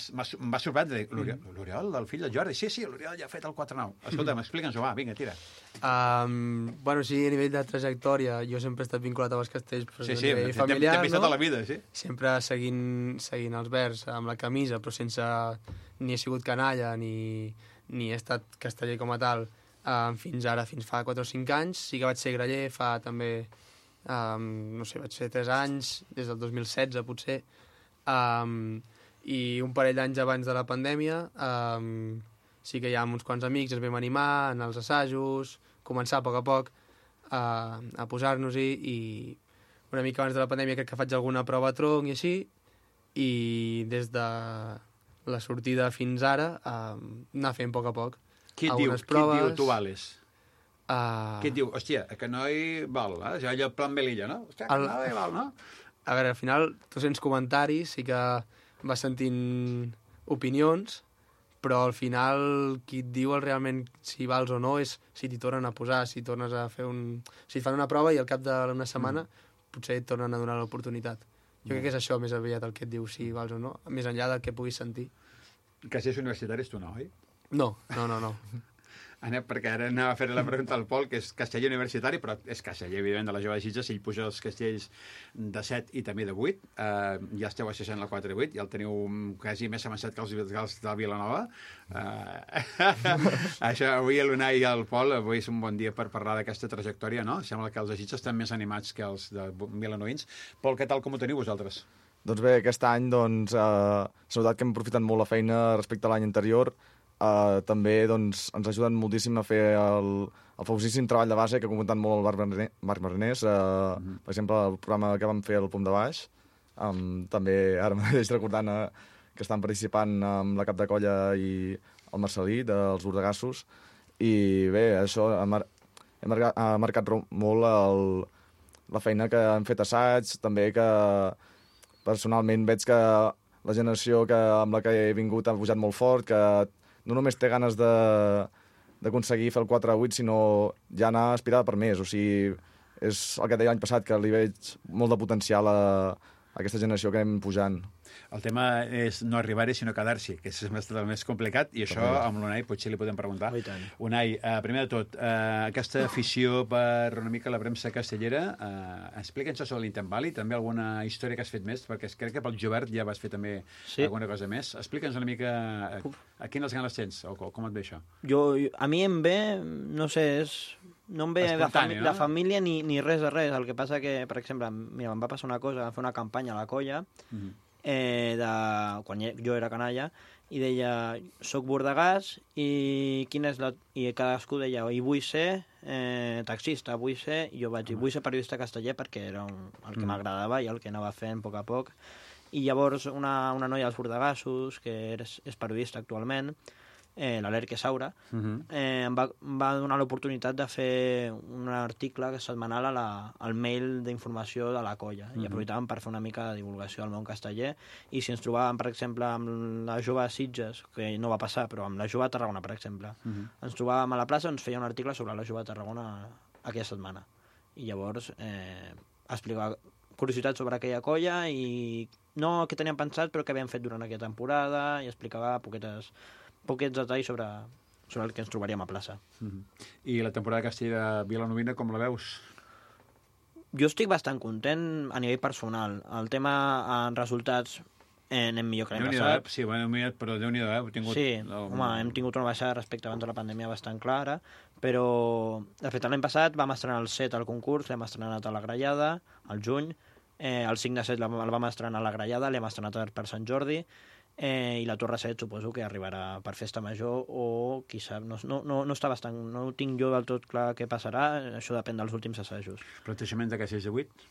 va sorprendre l'Oriol, el fill del Jordi. Sí, sí, l'Oriol ja ha fet el quatre nou. Escolta'm, explica'ns-ho, va, vinga, tira. Um, bueno, sí, a nivell de trajectòria, jo sempre he estat vinculat als castells per sí, sí, familiar, t'he vist no? tota la vida, sí. Sempre seguint, seguint els Verds amb la camisa, però sense ni he sigut canalla, ni, ni he estat casteller com a tal, um, fins ara, fins fa quatre o cinc anys. Sí que vaig ser graller, fa també, um, no sé, vaig fer tres anys, des del dos mil setze, potser. Um, i un parell d'anys abans de la pandèmia um, sí que ja amb uns quants amics ens vam animar en els assajos, començar a poc a poc uh, a posar-nos-hi, i una mica abans de la pandèmia crec que faig alguna prova a tronc i així, i des de la sortida fins ara, uh, anar fent a poc a poc. Qui et diu, Algunes qui et diu proves. tu vales? Uh, Qui et diu, hòstia, que no hi val, eh? Ja allò plan Belilla, no? Hòstia, que El- no hi val, no? A veure, al final tu sents comentaris, sí que vas sentint opinions, però al final qui et diu el realment si vals o no és si t'hi tornen a posar, si tornes a fer un... Si et fan una prova i al cap d'una setmana mm. potser et tornen a donar l'oportunitat. Jo crec que és això més aviat el que et diu si vals o no, més enllà del que puguis sentir. Castellers universitaris tu no, oi? No, no, no, no. Anem, perquè ara anava a fer la pregunta al Pol, que és casteller universitari, però és casteller, evidentment, de la Jove de Sitges, si ell puja els castells de set i també de vuit, eh, ja esteu assajant la quatre vuit, ja el teniu quasi més avançat que els, que els de Vilanova. Eh, això, avui l'Unai i el Pol, avui és un bon dia per parlar d'aquesta trajectòria, no? Sembla que els de Sitges estan més animats que els de vilanovins. Pol, què tal, com ho teniu vosaltres? Doncs bé, aquest any doncs, eh, s'ha notat que hem aprofitat molt la feina respecte a l'any anterior. Uh, també doncs, ens ajuden moltíssim a fer el, el famosíssim treball de base que ha comentat molt el Marc Marne- Marc Marnès, uh, mm -hmm. per exemple, el programa que vam fer al Pom de Baix. Um, també ara mateix recordant uh, que estan participant amb la cap de colla i el Marcelí dels Bordegassos, i bé, això ha, mar ha, marcat, ha marcat molt el, la feina que han fet assaigs, també que personalment veig que la generació que, amb la que he vingut ha pujat molt fort, que no només té ganes d'aconseguir fer el quatre a vuit, sinó ja anar aspirada per més. O sigui, és el que deia l'any passat, que li veig molt de potencial a, a aquesta generació que anem pujant. El tema és no arribar-hi, sinó quedar-s'hi, que és el més complicat, i això amb l'Unai potser li podem preguntar. Unai, eh, primer de tot, eh, aquesta afició per una mica la premsa castellera, eh, explica'ns sobre l'Intent Valley, també alguna història que has fet més, perquè crec que pel Jovert ja vas fer també sí. alguna cosa més. Explica'ns una mica a, a quines ganes tens, o com et ve això? Jo, a mi em ve, no sé, és... No em ve de, fami no? de família ni, ni res de res. El que passa que, per exemple, mira, em va passar una cosa, vam fer una campanya a la colla, mm-hmm. eh, de, quan jo era canalla, i deia, soc bordegàs, i quin és la... I cadascú deia, i vull ser eh, taxista, vull ser... I jo vaig dir, vull ser periodista casteller perquè era un, el que m'agradava i el que anava fent a poc a poc. I llavors una, una noia dels bordegassos, que és, és periodista actualment, eh, l'Alerque Saura, uh-huh. eh, em va, va donar l'oportunitat de fer un article setmanal a la, al mail d'informació de la colla, uh-huh. i aprofitàvem per fer una mica de divulgació al món casteller, i si ens trobàvem, per exemple, amb la Jove de Sitges, que no va passar, però amb la Jove de Tarragona, per exemple, uh-huh. ens trobàvem a la plaça, ens feia un article sobre la Jove de Tarragona aquella setmana, i llavors eh, explicava curiositats sobre aquella colla i no què teníem pensat, però què havíem fet durant aquella temporada, i explicava poquetes poquets detalls sobre, sobre el que ens trobaríem a plaça. Mm-hmm. I la temporada de Castell de Vilanovina, com la veus? Jo estic bastant content a nivell personal. El tema en resultats eh, anem millor que l'any passat. Sí, bueno, però Déu-n'hi-do, eh? Heu tingut... Sí, home, hem tingut una baixada respecte abans de la pandèmia bastant clara, però, de fet, l'any passat vam estrenar el set al concurs, l'hem estrenat a la Grallada, al juny, eh, el cinc de set el vam estrenar a la Grallada, l'hem estrenat per Sant Jordi, eh, i la Torre set suposo que arribarà per Festa Major o qui sap, no, no, no, no està bastant, no ho tinc jo del tot clar què passarà, això depèn dels últims assajos. Plantejament de Castells de vuit?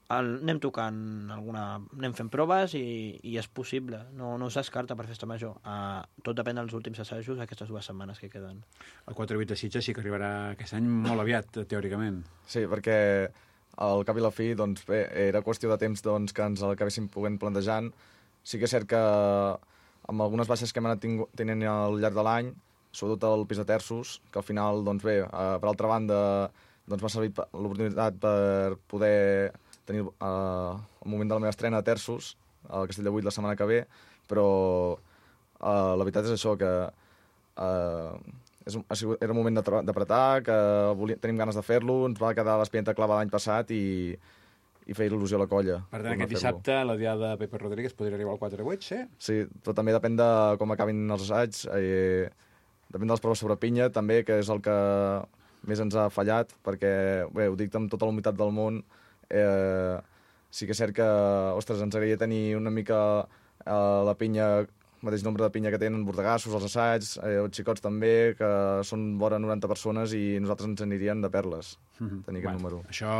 El, anem tocant alguna... anem fent proves i, i és possible, no, no es descarta per Festa Major. Uh, tot depèn dels últims assajos aquestes dues setmanes que queden. El quatre vuit de Sitges sí que arribarà aquest any molt aviat, teòricament. Sí, perquè al cap i la fi, doncs bé, era qüestió de temps doncs, que ens l'acabéssim podent plantejant. Sí que és cert que amb algunes baixes que hem anat tenint al llarg de l'any, sobretot el pis de terços, que al final, doncs bé, uh, per altra banda, doncs m'ha servit l'oportunitat per poder tenir uh, el moment de la meva estrena a terços, al Castell de vuit la setmana que ve, però uh, la veritat és això, que uh, és un, ha sigut, era un moment d'apretar, que volia, tenim ganes de fer-lo, ens va quedar l'espineta clava l'any passat i, i feia il·lusió a la colla. Per tant, aquest dissabte, la diada de Pepe Rodríguez podria arribar al quatre vuit, sí? Sí, però també depèn de com acabin els assaigs, eh, depèn de les proves sobre pinya, també, que és el que més ens ha fallat, perquè, bé, ho dic amb tota la humitat del món, Eh, sí que és cert que, ostres, ens agradaria tenir una mica eh, la pinya mateix nombre de pinya que tenen bordegassos, els assaigs, eh, els xicots també, que són vora noranta persones i nosaltres ens anirien de perles, mm-hmm. tenir aquest bueno, número. Això,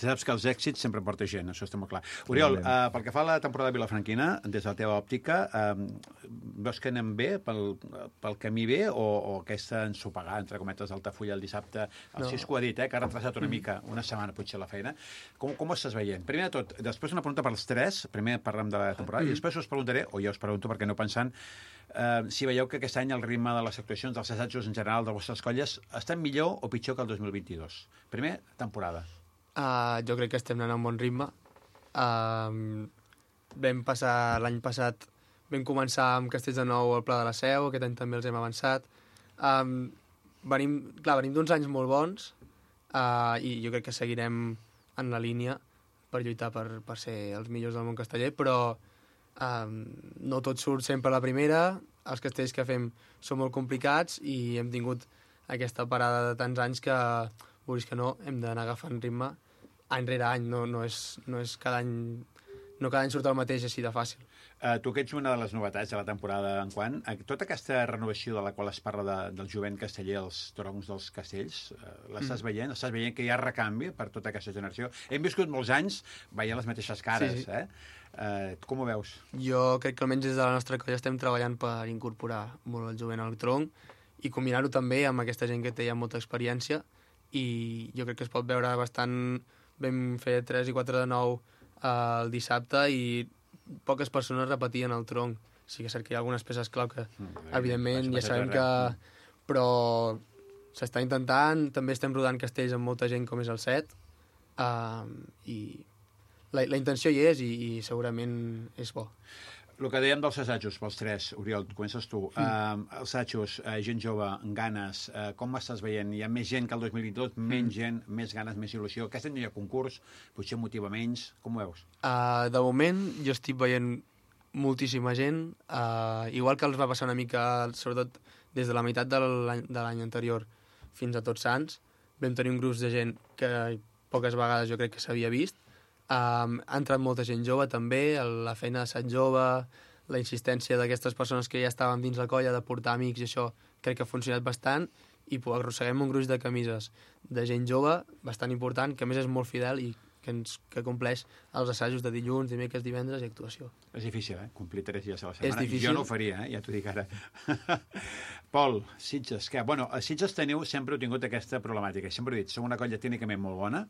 saps que els èxits sempre porta gent, això està molt clar. Oriol, eh, pel que fa a la temporada de Vilafranquina, des de la teva òptica, eh, veus que anem bé pel, pel camí bé o, o aquesta ensopegada, entre cometes, d'Altafulla el dissabte? El no. Cisco ha dit, eh, que ha retrasat una mica, una setmana potser la feina. Com, com ho estàs veient? Primer de tot, després una pregunta pels tres, primer parlem de la temporada, mm. i després us preguntaré, o ja us pregunto perquè no pensant, eh, si veieu que aquest any el ritme de les actuacions, dels assajos en general, de les vostres colles, estan millor o pitjor que el dos mil vint-i-dos? Primer, temporada. Uh, jo crec que estem anant a un bon ritme. Uh, vam passar l'any passat, vam començar amb Castells de Nou al Pla de la Seu, aquest any també els hem avançat. Um, venim, clar, venim d'uns anys molt bons uh, i jo crec que seguirem en la línia per lluitar per, per ser els millors del món casteller, però Um, no tot surt sempre a la primera, els castells que fem són molt complicats i hem tingut aquesta parada de tants anys que, vulguis que no, hem d'anar agafant ritme any rere any, no, no, és, no és cada any, no cada any surt el mateix així de fàcil. Uh, tu que ets una de les novetats de la temporada enquant, uh, tota aquesta renovació de la qual es parla de, del jovent casteller, els troncs dels castells, uh, l'estàs mm. veient? Estàs veient que hi ha recanvi per tota aquesta generació? Hem viscut molts anys veient les mateixes cares, sí, sí. eh? Uh, com ho veus? Jo crec que almenys des de la nostra colla estem treballant per incorporar molt el jovent al tronc i combinar-ho també amb aquesta gent que té ja molta experiència i jo crec que es pot veure bastant. Vam fer tres i quatre de nou uh, el dissabte i poques persones repetien el tronc. Sí que és cert que hi ha algunes peces clau que, mm, evidentment, ja sabem que... Però s'està intentant, també estem rodant castells amb molta gent com és el set uh, i... La, la intenció hi és i, i segurament és bo. El que dèiem dels assajos, pels tres, Oriol, comences tu. Mm. Uh, els assajos, uh, gent jove, ganes, uh, com estàs veient? Hi ha més gent que el dos mil vint-i-dos, mm. menys gent, més ganes, més il·lusió. Aquest any hi ha concurs, potser motiva menys. Com ho veus? Uh, de moment jo estic veient moltíssima gent, uh, igual que els va passar una mica, sobretot des de la meitat de l'any anterior fins a Tots Sants. Vam tenir un grup de gent que poques vegades jo crec que s'havia vist. Um, ha entrat molta gent jove també, la feina de Sant Jove, la insistència d'aquestes persones que ja estaven dins la colla de portar amics i això crec que ha funcionat bastant i arrosseguem un gruix de camises de gent jove bastant important, que a més és molt fidel i que, ens, que compleix els assajos de dilluns, dimecres, divendres i actuació. És difícil, eh? Complir tres dies a la setmana. És difícil. Jo no ho faria, eh? Ja t'ho dic ara. Pol, Sitges, que... Bueno, a Sitges teniu, sempre heu tingut aquesta problemàtica. Sempre he dit, som una colla tècnicament molt bona,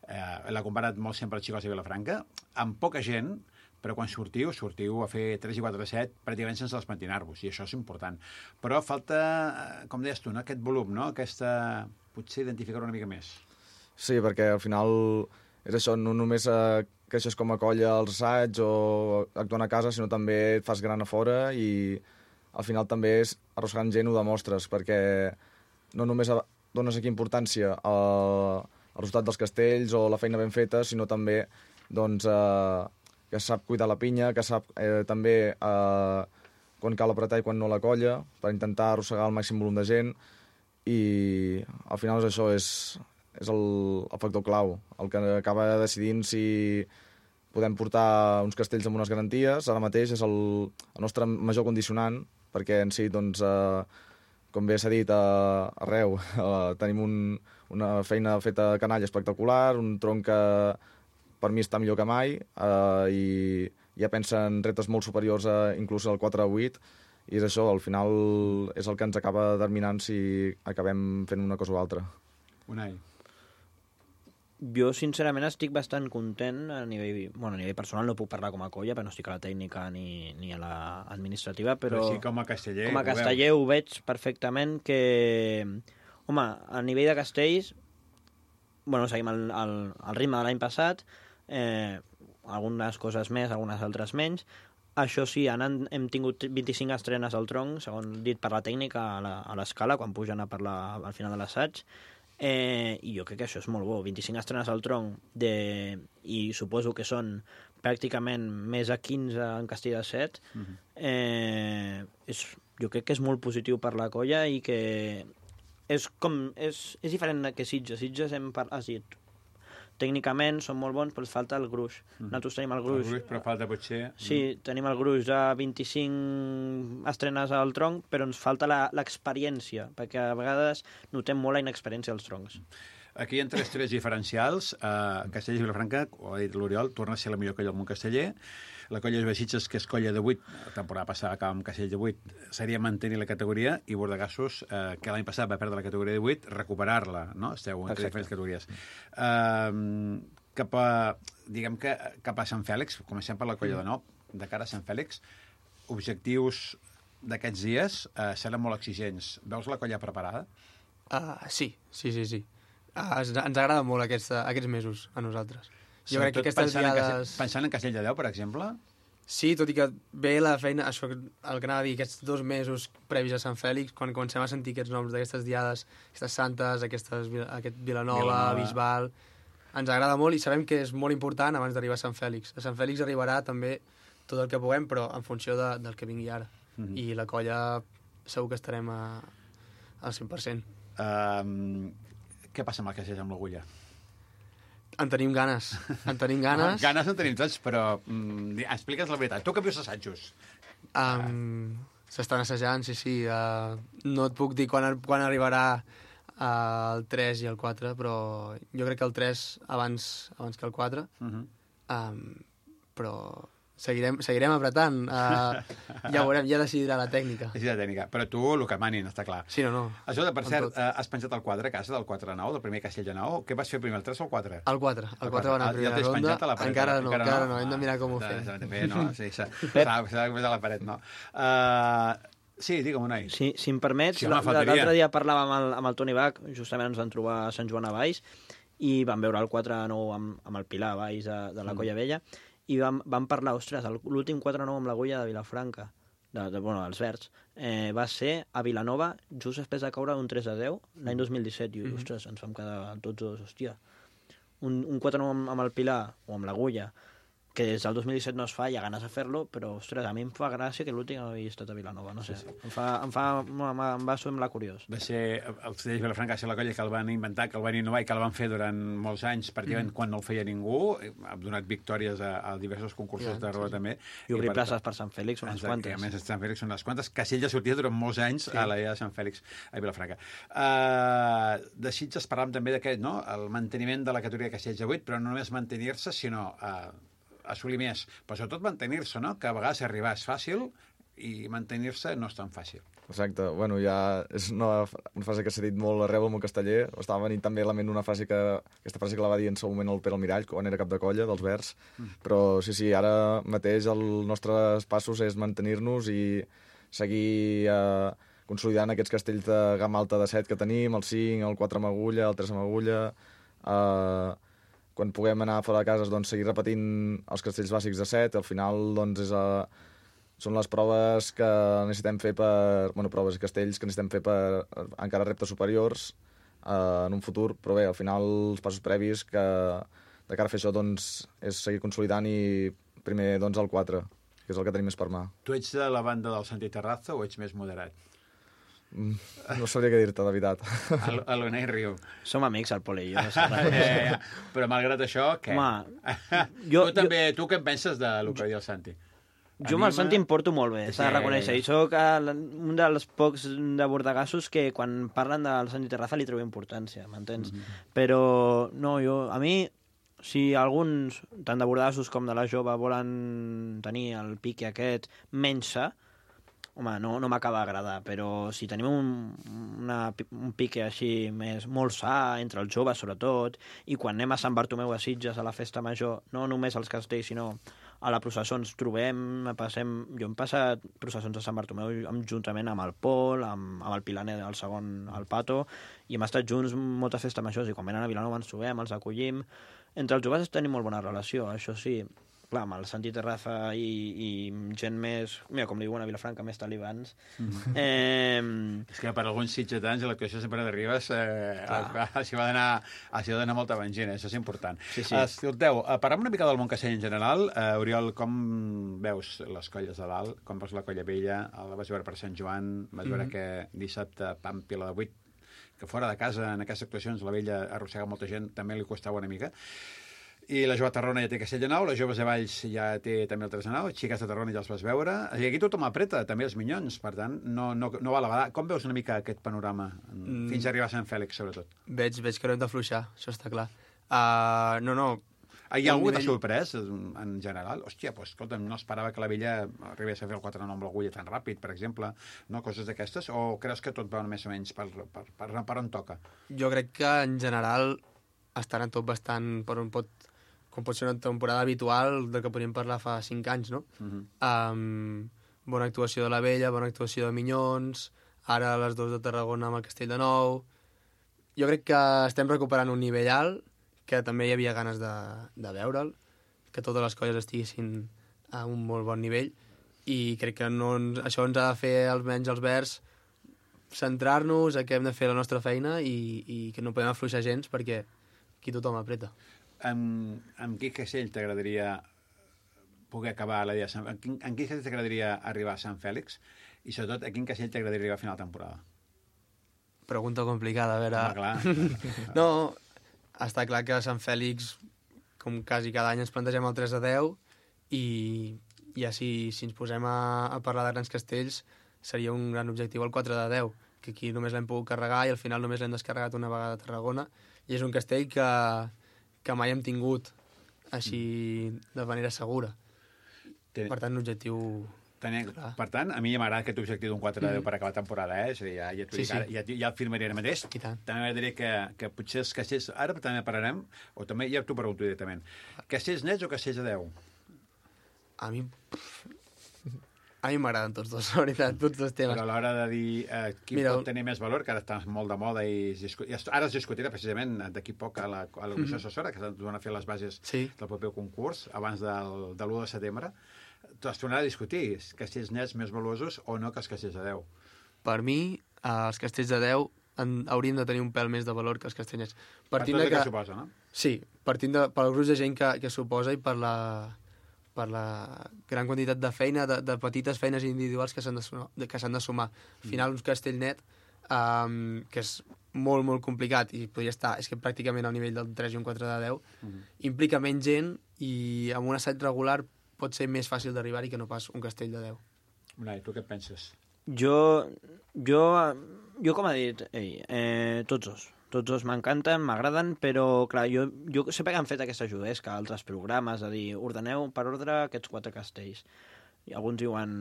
eh, l'ha comparat molt sempre els xicots de Vilafranca, amb poca gent, però quan sortiu, sortiu a fer tres i quatre set pràcticament sense despentinar-vos, i això és important. Però falta, com deies tu, no? Aquest volum, no? Aquesta... potser identificar-ho una mica més. Sí, perquè al final és això, no només eh, creixes com a colla als assaigs o actuant a casa, sinó també et fas gran a fora i al final també és arrossegant gent ho demostres, perquè no només dones aquí importància al, al resultat dels castells o la feina ben feta, sinó també doncs, eh, que sap cuidar la pinya, que sap eh, també eh, quan cal apretar i quan no la colla, per intentar arrossegar el màxim volum de gent, i al final és això, és, és el, el factor clau, el que acaba decidint si podem portar uns castells amb unes garanties. Ara mateix és el, el nostre major condicionant, perquè en si, doncs, eh, com bé s'ha dit, eh, arreu eh, tenim un, una feina feta a canalla espectacular, un tronc que per mi està millor que mai, eh, i ja pensa en retes molt superiors a, inclús al quatre a vuit, i és això, al final és el que ens acaba determinant si acabem fent una cosa o altra. Unai. Jo, sincerament, estic bastant content a nivell, bueno, a nivell personal, no puc parlar com a colla, perquè no estic a la tècnica ni, ni a l'administrativa, però... Però sí, com a casteller... Com a casteller ho veig perfectament que... Home, a nivell de castells, bueno, seguim el, el, el ritme de l'any passat, eh, algunes coses més, algunes altres menys. Això sí, han, hem tingut vint-i-cinc estrenes al tronc, segons dit per la tècnica, a l'escala, quan pugen a parlar al final de l'assaig. Eh, I jo crec que això és molt bo. vint-i-cinc estrenes al tronc, de, i suposo que són pràcticament més de quinze en castell de set. Uh-huh. eh, és, jo crec que és molt positiu per la colla i que és, com, és, és diferent que Sitges. Sitges hem, has dit, tècnicament són molt bons, però els falta el gruix. Mm. Nosaltres tenim el gruix... El gruix, però falta potser... Sí, tenim el gruix a vint-i-cinc estrenes al tronc, però ens falta l'experiència, perquè a vegades notem molt la inexperiència als troncs. Aquí hi ha tres trets diferencials. Uh, Castellers i Vilafranca, ho ha dit l'Oriol, torna a ser la millor colla del món casteller. La colla de Sitges, que és colla de vuit, la temporada passada acaba amb Castell de vuit, seria mantenir la categoria, i Bordegassos, eh, que l'any passat va perdre la categoria de vuit, recuperar-la, no? Esteu en diferents categories. Uh, cap a, diguem que, cap a Sant Fèlix, comencem per la colla de nou, de cara a Sant Fèlix, objectius d'aquests dies eh, seran molt exigents. Veus la colla preparada? Uh, sí, sí, sí, sí. Uh, ens, ens agrada molt aquesta, aquests mesos a nosaltres. Jo crec que aquestes pensant diades... En Castell, pensant en Castell de Déu, per exemple? Sí, tot i que ve la feina, això el que anava a dir, aquests dos mesos previs a Sant Fèlix, quan comencem a sentir aquests noms d'aquestes diades, aquestes santes, aquestes, aquest Vilanova, Vilanova, Bisbal, ens agrada molt i sabem que és molt important abans d'arribar a Sant Fèlix. A Sant Fèlix arribarà també tot el que puguem, però en funció de, del que vingui ara. Mm-hmm. I la colla segur que estarem a, al cent per cent. Um, què passa amb el Castell amb l'Agulla? En tenim ganes, en tenim ganes. Ganes en tenim tots, però mm, explica'ns la veritat. Tu que vius assajos? Um, S'estan assajant, sí, sí. Uh, no et puc dir quan, quan arribarà uh, el tres i el quatre, però jo crec que el tres abans, abans que el quatre. Uh-huh. um, però seguirem, seguirem apretant. Uh, ja veurem, ja decidirà la tècnica. Decidirà la tècnica, però tu el que manin, està clar. Sí, no, no. Això, per cert, uh, has penjat el quatre a casa, del quatre a nou, del primer Castell de nou. Què vas fer primer, el tres o el quatre? El quatre. El quatre va anar a primera ja ronda. A la paret, encara no, encara no. no. Ah, Hem de mirar com ho fem. fem. No, sí, s'ha de posar a la paret, no. Uh, sí, digue'm, Unai. Sí, si em permets, sí, l'altre dia parlàvem amb el, amb el Toni Bach, justament ens vam trobar a Sant Joan a Valls, i vam veure el quatre a nou amb, amb el Pilar a Valls de, de la Colla Vella, i vam, vam parlar, ostres, l'últim quatre a nou amb l'Agulla de Vilafranca, de, de, bueno, dels Verds, eh, va ser a Vilanova just després de caure un tres a deu l'any dos mil disset, i, mm-hmm. ostres, ens vam quedar tots dos, hòstia, un, un quatre a nou amb, amb el Pilar o amb l'Agulla, que des del dos mil disset no es fa, hi ha ganes de fer-lo, però, ostres, a mi em fa gràcia que l'últim havia estat a Vilanova, no sé. Sí, sí. Em, fa, em, fa, em va semblar curiós. Va ser, el Castell de Vilafranca va ser la colla que el van inventar, que el van innovar i que el van fer durant molts anys, pràcticament mm. quan no el feia ningú. Ha donat victòries a, a diversos concursos ja, de roda, sí, també. I obrir places per Sant Fèlix, unes quantes. A més, Sant Fèlix són unes quantes. Castell ja sortia durant molts anys sí. a la idea de Sant Fèlix a Vilafranca. Uh, de Sitges parlàvem també d'aquest, no? El manteniment de la categoria de Castells de vuit, però no només mantenir-se, sinó... Uh, assolir més, però sobretot mantenir-se, no? Que a vegades arribar és fàcil i mantenir-se no és tan fàcil. Exacte. Bueno, ja és una, una frase que s'ha dit molt arreu al món casteller. Estava venint també a la ment una frase que... Aquesta frase que la va dir en seu moment el Pere Almirall, quan era cap de colla dels Verds. Mm. Però sí, sí, ara mateix els nostres passos és mantenir-nos i seguir eh, consolidant aquests castells de gamma alta de set que tenim, el cinc, el quatre amb agulla, el tres amb agulla... Eh, quan puguem anar fora de casa, doncs, seguir repetint els castells bàsics de set. Al final, doncs, és a... són les proves que necessitem fer per... Bueno, proves i castells que necessitem fer per encara reptes superiors eh, en un futur. Però bé, al final, els passos previs que de cara a fer això, doncs, és seguir consolidant i primer, doncs, el quatre, que és el que tenim més per mà. Tu ets de la banda del Santi Terraza o ets més moderat? No sabria què dir-te, de veritat. El, el Unai riu. Som amics, el Pol i jo. No sé eh, però malgrat això, què? Home, jo, tu també, jo... tu què en penses del que diu el Santi? Jo amb el Santi em porto molt bé, s'ha de reconèixer. I soc un dels pocs de bordegassos que quan parlen del Santi Terraza li trobo importància, m'entens? Mm-hmm. Però, no, jo, a mi, si alguns, tant de bordegassos com de la jove, volen tenir el pique aquest menys sa, home, no, no m'acaba d'agradar, però si tenim un, una, un pique així més, molt sa, entre els joves sobretot, i quan anem a Sant Bartomeu a Sitges a la festa major, no només als castells, sinó a la processó ens trobem, passem... Jo hem passat processons a Sant Bartomeu juntament amb el Pol, amb, amb el Pilaner, el segon, el Pato, i hem estat junts moltes festes majors, i quan venen a Vilanova ens trobem, els acollim. Entre els joves tenim molt bona relació, això sí. Clar, amb el Santi Terraza i, i gent més... Mira, com li diuen a Vilafranca, més talibans. Mm-hmm. Eh... És que per alguns sitgetans l'actuació sempre de Ribes eh, s'hi va d'anar molta vengina, això és important. Sí, sí. Escolteu, parlem una mica del món castell en general. Uh, Oriol, com veus les colles de dalt? Com veus la Colla Vella? La vas veure per Sant Joan? Vas veure mm-hmm. que dissabte Pàmpila de vuit, que fora de casa, en aquestes actuacions, la vella arrossega molta gent, també li costava una mica. I la jove de Tarragona ja té Castell de Nou, les joves de Valls ja té també el tres de Nou, xiques de Tarragona ja els vas veure. I aquí tothom apreta, també els minyons, per tant, no, no, no val a badar. Com veus una mica aquest panorama, mm. fins a arribar a Sant Fèlix, sobretot? Veig, veig que no hem d'afluixar, això està clar. Uh, no, no. Hi ha algú que t'ha sorprès, en general? Hòstia, doncs, escolta, no esperava que la vella arribés a fer el quatre nou amb l'agulla tan ràpid, per exemple, no? Coses d'aquestes, o creus que tot va més o menys per, per, per, per on toca? Jo crec que, en general, estan tot bastant per on pot... com pot ser una temporada habitual del que podríem parlar fa cinc anys, no? Uh-huh. Um, bona actuació de la vella, bona actuació de Minyons, ara les dos de Tarragona amb el Castell de Nou... Jo crec que estem recuperant un nivell alt, que també hi havia ganes de, de veure'l, que totes les colles estiguessin a un molt bon nivell, i crec que no, això ens ha de fer, almenys els Verds, centrar-nos a que hem de fer la nostra feina i, i que no podem afluixar gens perquè aquí tothom apreta. En, en quin castell t'agradaria poder acabar la dia? En quin, en quin castell t'agradaria arribar a Sant Fèlix? I sobretot, a quin castell t'agradaria arribar a final de temporada? Pregunta complicada, a veure... Ah, clar. No, està clar que a Sant Fèlix, com quasi cada any, ens plantegem el tres de deu i ja si, si ens posem a, a parlar de grans castells seria un gran objectiu el quatre de deu, que aquí només l'hem pogut carregar i al final només l'hem descarregat una vegada a Tarragona, i és un castell que... que mai hem tingut així de manera segura. Ten... Per tant, un objectiu... Ten... Per tant, a mi ja m'agrada aquest objectiu d'un quatre de deu mm. per acabar la temporada, eh? És a dir, ja, ja, sí, sí. Ara, ja, ja el firmaré ara mateix. També m'agradaria que, que potser els castells... Ara també parlarem, o també ja t'ho pregunto directament. Castells nets o castells de deu? A mi... A mi m'agraden tots dos, la veritat, tots dos temes. Però a l'hora de dir eh, qui Mira, pot tenir més valor, que ara està molt de moda i, i ara es discutirà precisament d'aquí poc a la, a la comissió assessora, que s'han de fer les bases sí. del proper concurs abans del, de l'u de setembre. Es tornarà a discutir castells nets més valuosos o no que els castells de deu. Per mi, eh, els castells de deu en, haurien de tenir un pèl més de valor que els castells nets. Partint per tot el que, que suposa, no? Sí, partint de, pel gruix de gent que, que suposa i per la... per la gran quantitat de feina, de, de petites feines individuals que s'han de, que s'han de sumar. Al final, un castell net, um, que és molt, molt complicat, i podria estar, és que pràcticament al nivell del tres i un quatre de deu, mm. implica menys gent, i amb un assaig regular pot ser més fàcil d'arribar-hi que no pas un castell de deu. Unai, tu què penses? Jo, jo, jo com ha dit ell, eh, tots dos. Tots dos m'encanten, m'agraden, però, clar, jo, jo sempre que han fet aquesta juguesca, altres programes, a dir, ordeneu per ordre aquests quatre castells. I alguns diuen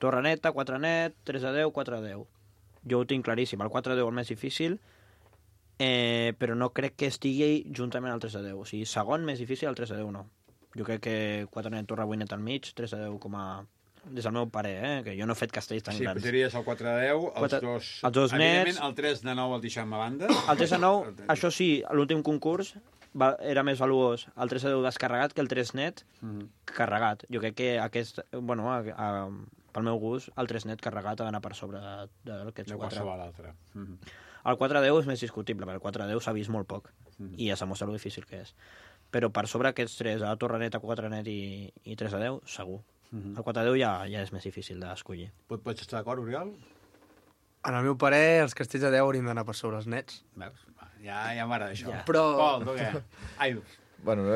torre neta, quatre net, tres a deu, quatre a deu. Jo ho tinc claríssim, el quatre a deu el més difícil, eh, però no crec que estigui juntament al tres a deu. O sigui, segon més difícil, el tres a deu no. Jo crec que quatre net, torre vuit net al mig, tres a deu com a... des del meu parer, eh? Que jo no he fet castells tan sí, grans. Sí, posaries el quatre de deu, els quatre, dos... Els dos evidentment, nets... el tres de nou el deixem a banda. El tres de nou, això sí, a l'últim concurs va, era més valuós el tres de deu descarregat que el tres net mm-hmm. carregat. Jo crec que aquest, bueno, a, a, pel meu gust, el tres net carregat ha d'anar per sobre d'aquests de quatre. De l'altre. Mm-hmm. El quatre de deu és més discutible, perquè el quatre de deu s'ha vist molt poc mm-hmm. i ja s'ha mostrat lo difícil que és. Però per sobre aquests tres, a la torre neta, quatre net i, i tres a deu, segur. Uh-huh. El quatre a deu ja, ja és més difícil d'escollir. Pot, pots estar d'acord, Oriol? En el meu parer, els castells de deu haurien d'anar per sobre els nets. Veus? Ja, ja m'agrada això. Ja. Però... Pol, tu què? Ai. Bueno,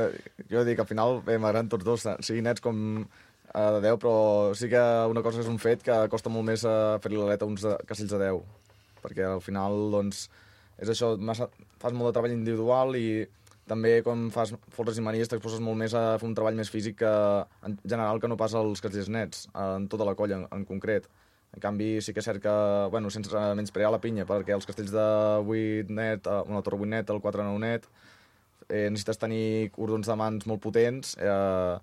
jo dic que al final bé, m'agraden tots dos, sigui nets com uh, de deu, però sí que una cosa és un fet que costa molt més uh, fer-li l'aleta a uns de, castells de deu. Perquè al final, doncs, és això, massa, fas molt de treball individual i també quan fas folres i manies t'exposes molt més a fer un treball més físic que, en general que no pas als castells nets, en tota la colla en, en concret. En canvi, sí que és cert que, bueno, sense menysprear la pinya, perquè els castells de vuit net, una torre vuit net, el quatre nou net, eh, necessites tenir cordons de mans molt potents, eh,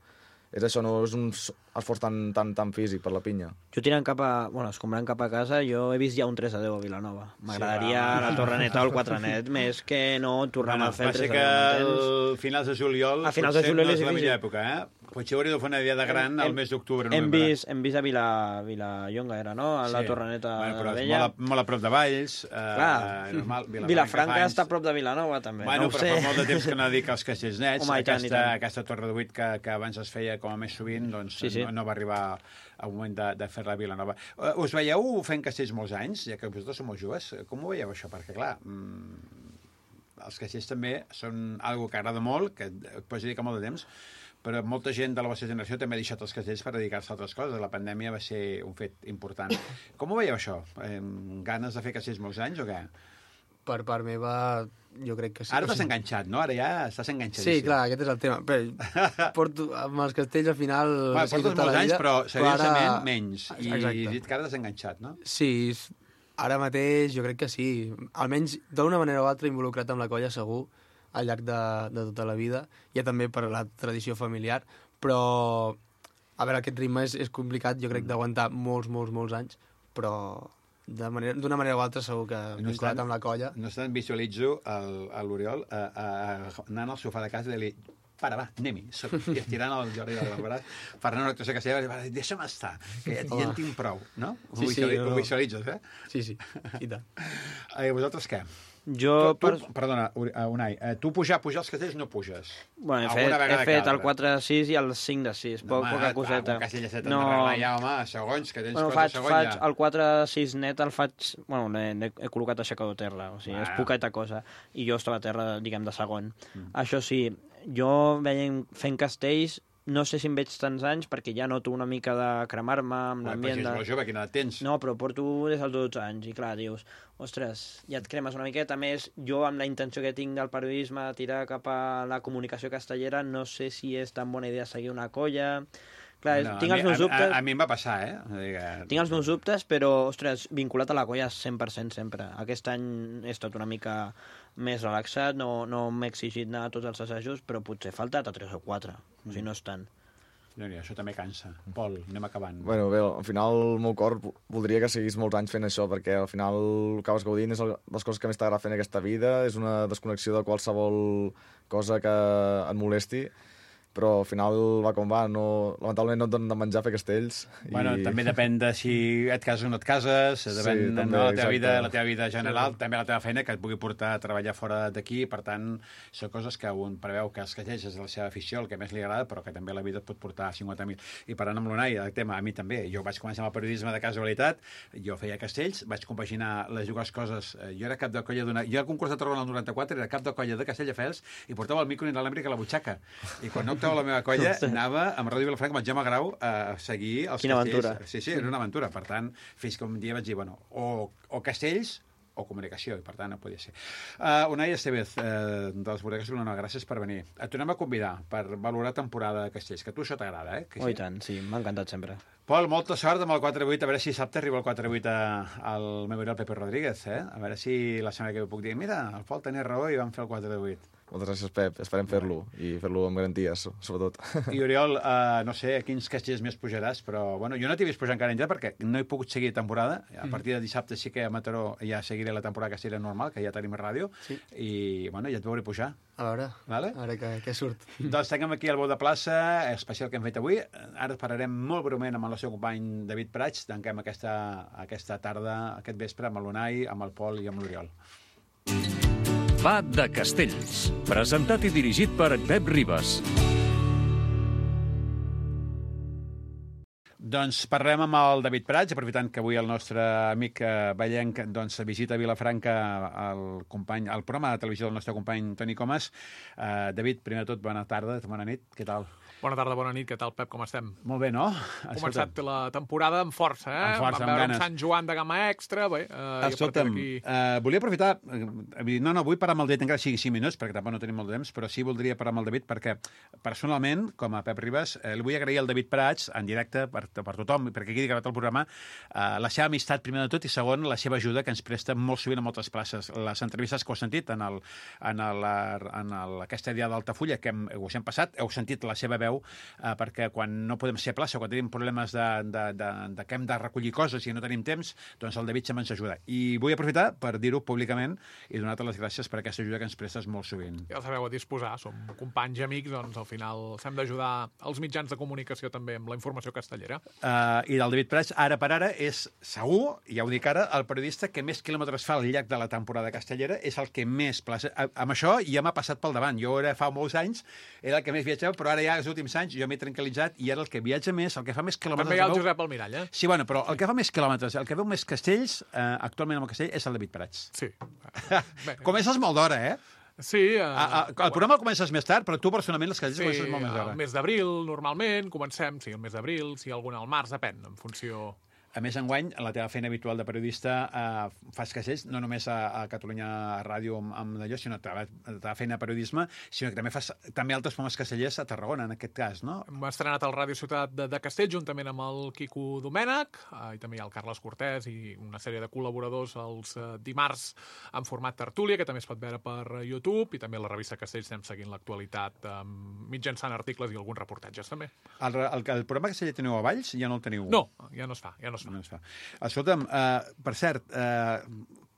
és això, no és un esforç tan, tan, tan físic per la pinya. Jo tirant cap a... Bueno, escombrant cap a casa, jo he vist ja un tres a deu a Vilanova. M'agradaria sí, la torre neta o el quatre net, més que no tornar bueno, a fer el tres a deu. Va ser que a finals de juliol, a finals de juliol no és la difícil. millor època, eh? Potser hauria de fer una diada gran al mes d'octubre. Hem vist, hem vist a Vila, Vilallonga, era, no? A la Sí. Torreneta Bueno, però de és Vella. molt, a, molt a prop de Valls. Eh, Clar. normal, Vilafranca fa està a anys. prop de Vilanova, també. Bueno, no ho però sé. fa molt de temps que no dic als Castells Nets. Home, i tant, i aquesta, tant. aquesta Torre de Vuit que, que abans es feia com a més sovint, doncs Sí, sí. No, no va arribar al moment de, de fer la Vilanova. Uh, us veieu fent castells molts anys, ja que vosaltres sou molt joves? Com ho veieu, això? Perquè, clar, mm, els castells també són algo que agrada molt, que et pots dedicar molt de temps, però molta gent de la vostra generació també ha deixat els castells per dedicar-se a altres coses. La pandèmia va ser un fet important. Com ho veieu, això? Eh, ganes de fer castells molts anys o què? Per part meva, jo crec que sí. Ara O t'has sigui- enganxat, no? Ara ja estàs enganxadíssim. Sí, clar, aquest és el tema. Però porto, amb els castells al final... Bueno, sí, portes tota molts la anys, vida, però seriosament ara- menys. I Exacte. dit que ara t'has enganxat, no? Sí, ara mateix jo crec que sí. Almenys d'una manera o altra involucrat amb la colla segur al llarg de, de tota la vida. Ja també per la tradició familiar, però a veure, aquest ritme és, és complicat, jo crec, d'aguantar molts, molts, molts anys, però d'una manera, d'una manera o altra segur que vinculat amb la colla. No obstant, visualitzo el- a l'Oriol eh, eh, anant al sofà de casa i dir para, va, anem-hi. Soc- I estirant el Jordi del braç, parlant una actuació que seva, va, deixa'm estar, que ja, ja en tinc prou, no? Ho, Sí, sí, visuali- no, ho no. visualitzes, eh? Sí, sí, i tant. I vosaltres què? Jo, tu, tu, perdona, Uri- eh, Unai, eh, tu pujar, pujar els castells no puges. Bueno, he Alguna fet, he vegada fet cada. el quatre de sis i el cinc de sis, poc, home, poca coseta. Un castell de set no. d'arreglar ja, home, segons, que tens Bueno, coses faig, segon faig ja. el quatre de sis net, el faig... Bueno, l'he he col·locat aixecador a terra, o sigui, Ah. és poqueta cosa. I jo estava a terra, diguem, de segon. Mm. Això sí, jo veient, fent castells, no sé si em veig tants anys, perquè ja noto una mica de cremar-me amb Home, l'ambient però si de... és molt jove, quina edat tens? No, però porto des dels dotze anys, i clar, dius, ostres, ja et cremes una miqueta. A més, jo amb la intenció que tinc del periodisme de tirar cap a la comunicació castellera, no sé si és tan bona idea seguir una colla... Clar, No, tinc a els mi- meus a- dubtes... A, a mi em va passar, eh? Digue... Tinc els meus dubtes, però, ostres, vinculat a la colla cent per cent sempre. Aquest any he estat una mica més relaxat, no, no m'he exigit anar a tots els assajos, però potser he faltat a tres o quatre, o sigui, no és tant. No, no, això també cansa. Pol, anem acabant. Bueno, bé, al final el meu cor voldria que seguís molts anys fent això, perquè al final acabes gaudint, és el- les coses que més t'agrada fer en aquesta vida, és una desconnexió de qualsevol cosa que et molesti, però al final va com va, no, lamentablement no et donen de menjar fer castells. Bueno, i... també depèn de si et cases o no et cases, depèn Sí, de també, no, la, teva exacte. vida, la teva vida general, sí. També la teva feina, que et pugui portar a treballar fora d'aquí, per tant, són coses que un preveu que els castells és la seva afició, el que més li agrada, però que també la vida et pot portar a cinquanta mil. I parlant amb l'Unai, el tema, a mi també, jo vaig començar amb el periodisme de casualitat, jo feia castells, vaig compaginar les dues coses, jo era cap de colla d'una... Jo al concurs de Tarragona el noranta-quatre era cap de colla de Castelldefels i portava el micro inalàmbric a la butxaca. I quan no actuava la meva colla, anava amb Ràdio Vilafranca, amb el Jaume Grau, a seguir els Quina castells. aventura. Sí, sí, era una aventura. Per tant, fins que un dia vaig dir, bueno, o, o castells o comunicació, i per tant no podia ser. Uh, Unai Estevez, uh, dels Bodegues Vilanova, gràcies per venir. Et tornem a convidar per valorar temporada de castells, que a tu això t'agrada, eh? Que Oh, sí? i tant, sí, m'ha encantat sempre. Pol, molta sort amb el quatre vuit, a veure si dissabte arriba el quatre vuit a- al memorial Pepe Rodríguez, eh? A veure si la setmana que ve puc dir, mira, el Pol tenia raó i vam fer el quatre vuit. Moltes gràcies, Pep. Esperem fer-lo, i fer-lo amb garanties, sobretot. I Oriol, uh, no sé a quins castells més pujaràs, però bueno, jo no t'he vist pujar encara enllà perquè no he pogut seguir temporada. A partir de dissabte sí que a Mataró ja seguiré la temporada castellera normal, que ja tenim ràdio, Sí. i bueno, ja et veuré pujar. A veure, Vale? a veure què, què surt. Doncs tanquem aquí el Bou de Plaça, especial que hem fet avui. Ara pararem molt breument amb el seu company David Prats. Tanquem aquesta, aquesta tarda, aquest vespre, amb l'Unai, amb el Pol i amb l'Oriol. Va de Castells, presentat i dirigit per Pep Ribas. Doncs parlem amb el David Prats, aprofitant que avui el nostre amic eh, Vallenc doncs, visita a Vilafranca el, company, el programa de televisió del nostre company Toni Comas. Eh, David, primer de tot, bona tarda, bona nit, què tal? Bona tarda, bona nit, què tal, Pep, com estem? Molt bé, no? Ha començat la temporada amb força, eh? Amb força, Vam amb veure ganes. un Sant Joan de gamma extra, bé, eh, Escolta'm, i a partir d'aquí... uh, volia aprofitar, uh, no, no, vull parar amb el David encara sigui cinc minuts, perquè tampoc no tenim molt de temps, però sí voldria parar amb el David perquè, personalment, com a Pep Ribas, eh, li vull agrair al David Prats, en directe, per per tothom, perquè quedi gravat el programa, uh, la seva amistat, primer de tot, i segon, la seva ajuda, que ens presta molt sovint a moltes places. Les entrevistes que heu sentit en, el, en, el, en el, aquesta dia d'Altafulla, que hem, us hem passat, heu sentit la seva veu, uh, perquè quan no podem ser a plaça, quan tenim problemes de, de, de, de que hem de recollir coses i no tenim temps, doncs el David sempre ens ajuda. I vull aprofitar per dir-ho públicament i donar-te les gràcies per aquesta ajuda que ens prestes molt sovint. Ja el sabeu a disposar, som companys i amics, doncs al final s'hem d'ajudar els mitjans de comunicació també amb la informació castellera. Uh, I del David Prats, ara per ara, és segur, ja ho dic ara, el periodista que més quilòmetres fa al llarg de la temporada castellera, és el que més plaça... Amb això ja m'ha passat pel davant. Jo era fa molts anys, era el que més viatjava, però ara ja els últims anys jo m'he tranquil·litzat i ara el que viatja més, el que fa més quilòmetres... També hi ha el Josep Almirall, eh? Sí, bueno, però el que fa més quilòmetres, el que veu més castells, eh, actualment amb el castell, és el David Prats. Sí. Comences molt d'hora, eh? Sí. Uh, a, a, el programa el comences més tard, però tu personalment les castells sí, comences molt més d'hora. Sí, el mes d'abril, normalment, comencem, sí, el mes d'abril, si sí, algun al març, depèn, en funció... A més, enguany, en la teva feina habitual de periodista, eh, fas castells, no només a, a Catalunya Ràdio amb, amb d'allò, sinó a la teva feina de periodisme, sinó que també fas també altres programes castellers a Tarragona, en aquest cas, no? Hem estrenat al Ràdio Ciutat de, de Castell, juntament amb el Quico Domènech, eh, i també hi ha el Carles Cortés i una sèrie de col·laboradors els eh, dimarts en format tertúlia, que també es pot veure per YouTube, i també a la revista Castells anem seguint l'actualitat eh, mitjançant articles i alguns reportatges, també. El, el, el programa casteller teniu a Valls ja no el teniu? No, ja no es fa, ja no es fa. No es fa. Escolta'm, uh, per cert, uh,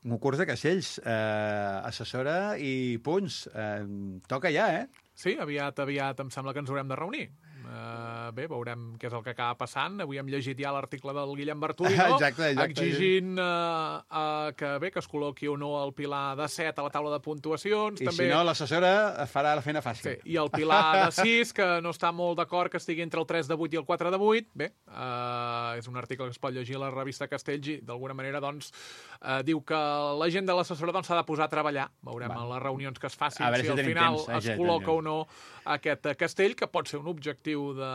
concurs de castells, uh, assessora i punts, uh, toca ja, eh? Sí, aviat, aviat em sembla que ens haurem de reunir. Uh, bé, veurem què és el que acaba passant. Avui hem llegit ja l'article del Guillem Bartolí, no? Exacte, exacte. Exigint uh, uh, que bé que es col·loqui o no el Pilar de set a la taula de puntuacions. I també... si no, l'assessora farà la feina fàcil. Sí, i el Pilar de sis, que no està molt d'acord que estigui entre el tres de vuit i el quatre de vuit. Bé, uh, és un article que es pot llegir a la revista Castells i d'alguna manera doncs, uh, diu que la gent de l'assessora doncs, s'ha de posar a treballar. Veurem Va. a les reunions que es facin si, si al final temps, es col·loca o no aquest castell, que pot ser un objectiu de,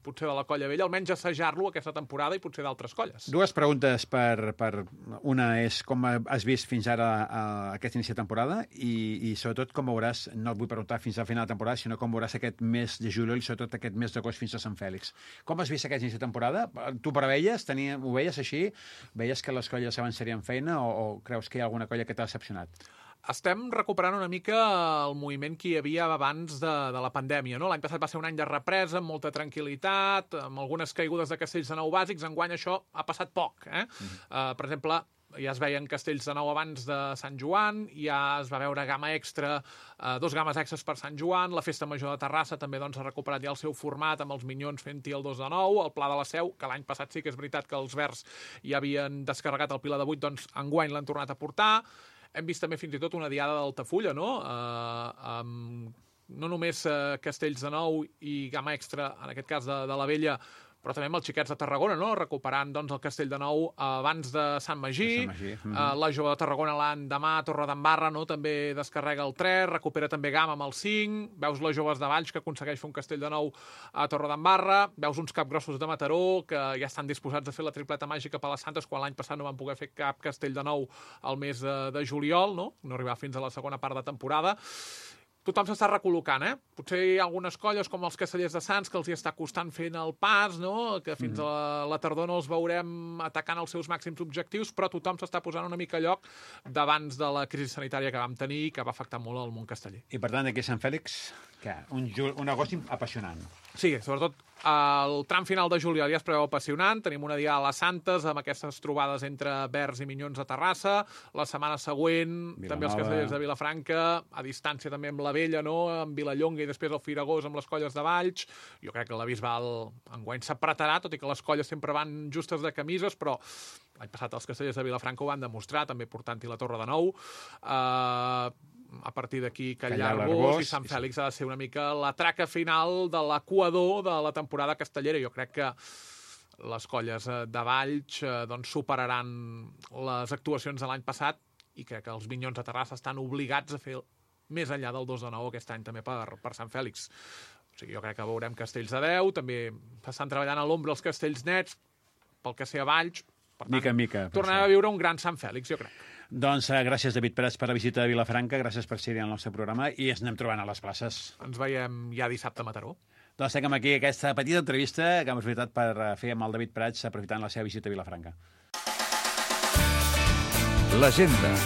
potser de la Colla Vella, almenys assajar-lo aquesta temporada i potser d'altres colles. Dues preguntes per, per... Una és com has vist fins ara a aquest inici de temporada i, i sobretot com veuràs, no et vull preguntar fins al final de temporada, sinó com veuràs aquest mes de juliol i sobretot aquest mes d'agost fins a Sant Fèlix. Com has vist aquest inici de temporada? Tu preveies, tenia, ho veies així? Veies que les colles avançarien feina o, o creus que hi ha alguna colla que t'ha decepcionat? Estem recuperant una mica el moviment que hi havia abans de, de la pandèmia, no? L'any passat va ser un any de represa, amb molta tranquil·litat, amb algunes caigudes de castells de nou bàsics. Enguany això ha passat poc, eh? Uh-huh. uh, per exemple, ja es veien castells de nou abans de Sant Joan, ja es va veure gamma extra, eh, dos games extras per Sant Joan, la Festa Major de Terrassa també doncs, ha recuperat ja el seu format amb els Minyons fent-hi el dos de nou, el Pla de la Seu, que l'any passat sí que és veritat que els Verds ja havien descarregat el Pilar de vuit, doncs enguany l'han tornat a portar. Hem vist també fins i tot una diada d'Altafulla, no? Uh, amb no només uh, castells de nou i gamma extra, en aquest cas de, de la Vella, però també amb els xiquets de Tarragona, no? Recuperant doncs, el castell de nou abans de Sant Magí. De Sant Magí. Mm-hmm. uh, la jove de Tarragona l'endemà a Torredembarra, no? També descarrega el tres, recupera també gamma amb el cinc, veus les joves de Valls que aconsegueix fer un castell de nou a Torredembarra, veus uns capgrossos de Mataró que ja estan disposats a fer la tripleta màgica per les Santes quan l'any passat no van poder fer cap castell de nou al mes de, de juliol, no? No arribar fins a la segona part de temporada. Tothom s'està recol·locant, eh? Potser hi ha algunes colles, com els Castellers de Sants, que els hi està costant fent el pas, no? Que fins mm. a la, la tardor no els veurem atacant els seus màxims objectius, però tothom s'està posant una mica a lloc d'abans de la crisi sanitària que vam tenir i que va afectar molt el món casteller. I per tant, aquí a Sant Fèlix, què? Un, un negoci apassionant. Sí, sobretot el tram final de juliol ja es preveu apassionant. Tenim una dia a les Santes amb aquestes trobades entre Verds i Minyons a Terrassa. La setmana següent Vilanova. També els castellers de Vilafranca, a distància també amb la Vella, no? Amb Vilallonga i després el Firagós amb les colles de Valls. Jo crec que la Bisbal enguany s'apretarà, tot i que les colles sempre van justes de camises, però l'any passat els castellers de Vilafranca ho van demostrar, també portant-hi la Torre de Nou. Uh, a partir d'aquí Callar l'Arbós i Sant Fèlix ha de ser una mica la traca final de l'equador de la temporada castellera. Jo crec que les colles de Valls doncs, superaran les actuacions de l'any passat i crec que els Minyons de Terrassa estan obligats a fer més enllà del dos de nou aquest any també per, per Sant Fèlix. O sigui, jo crec que veurem castells de deu, també estan treballant a l'ombra els castells nets, pel que sé a Valls. Per tant, mica en mica. Tornarem a viure un gran Sant Fèlix, jo crec. Doncs uh, gràcies, David Prats, per la visita a Vilafranca, gràcies per ser-hi al nostre programa i ens anem trobant a les places. Ens veiem ja dissabte a Mataró. Doncs tenim aquí aquesta petita entrevista que hem aprofitat per fer amb el David Prats, aprofitant la seva visita a Vilafranca. L'agenda.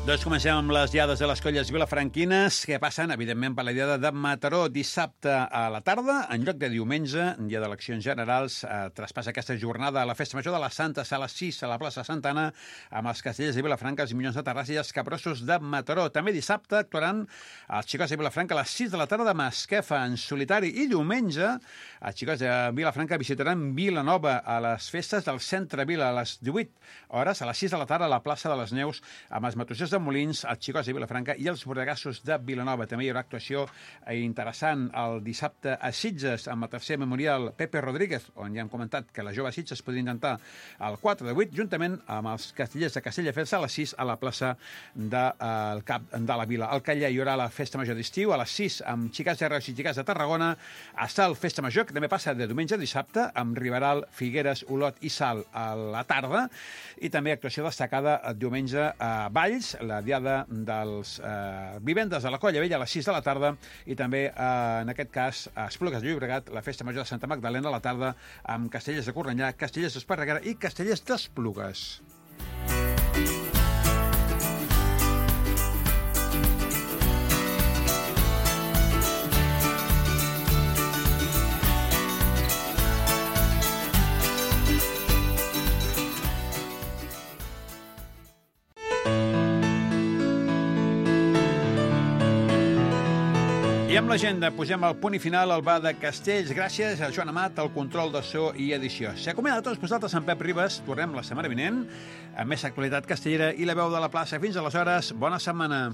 Doncs comencem amb les diades de les colles vilafranquines que passen, evidentment, per la diada de Mataró dissabte a la tarda, en lloc de diumenge, dia d'eleccions generals, eh, traspassa aquesta jornada a la Festa Major de la Santa a les sis a la plaça Santa Anna amb els castellers de Vilafranca, els Minyons de Terrassa i els Capgrossos de Mataró. També dissabte actuaran els xicots de Vilafranca a les sis de la tarda de Masquefa en solitari i diumenge els xicots de Vilafranca visitaran Vilanova a les festes del Centre Vila a les divuit hores, a les sis de la tarda a la plaça de les Neus amb els matossers de Molins, els xicots de Vilafranca i els bordegassos de Vilanova. També hi haurà actuació interessant el dissabte a Sitges amb el tercer memorial Pepe Rodríguez, on ja hem comentat que la jove Sitges podria intentar el quatre de vuit, juntament amb els castellers de Castelldefels a les sis a la plaça del de, cap de la Vila. Al Caller hi haurà la Festa Major d'estiu a les sis amb xicats de Reus i xicats de Tarragona. A Sal, Festa Major, que també passa de diumenge a dissabte, amb Riberal, Figueres, Olot i Sal a la tarda. I també actuació destacada el diumenge a Valls, la diada dels eh, vivendes de la Colla Vella a les sis de la tarda i també, eh, en aquest cas, a Esplugues de Llobregat, la Festa Major de Santa Magdalena a la tarda amb Castellers de Cornellà, Castellers d'Esparreguera i Castellers d'Esplugues. I amb l'agenda posem el punt i final al bar de Castells. Gràcies a Joan Amat, al control de so i edició. S'ha acomiadat tots vosaltres en Pep Ribas. Tornem la setmana vinent amb més actualitat castellera i la veu de la plaça. Fins aleshores, bona setmana.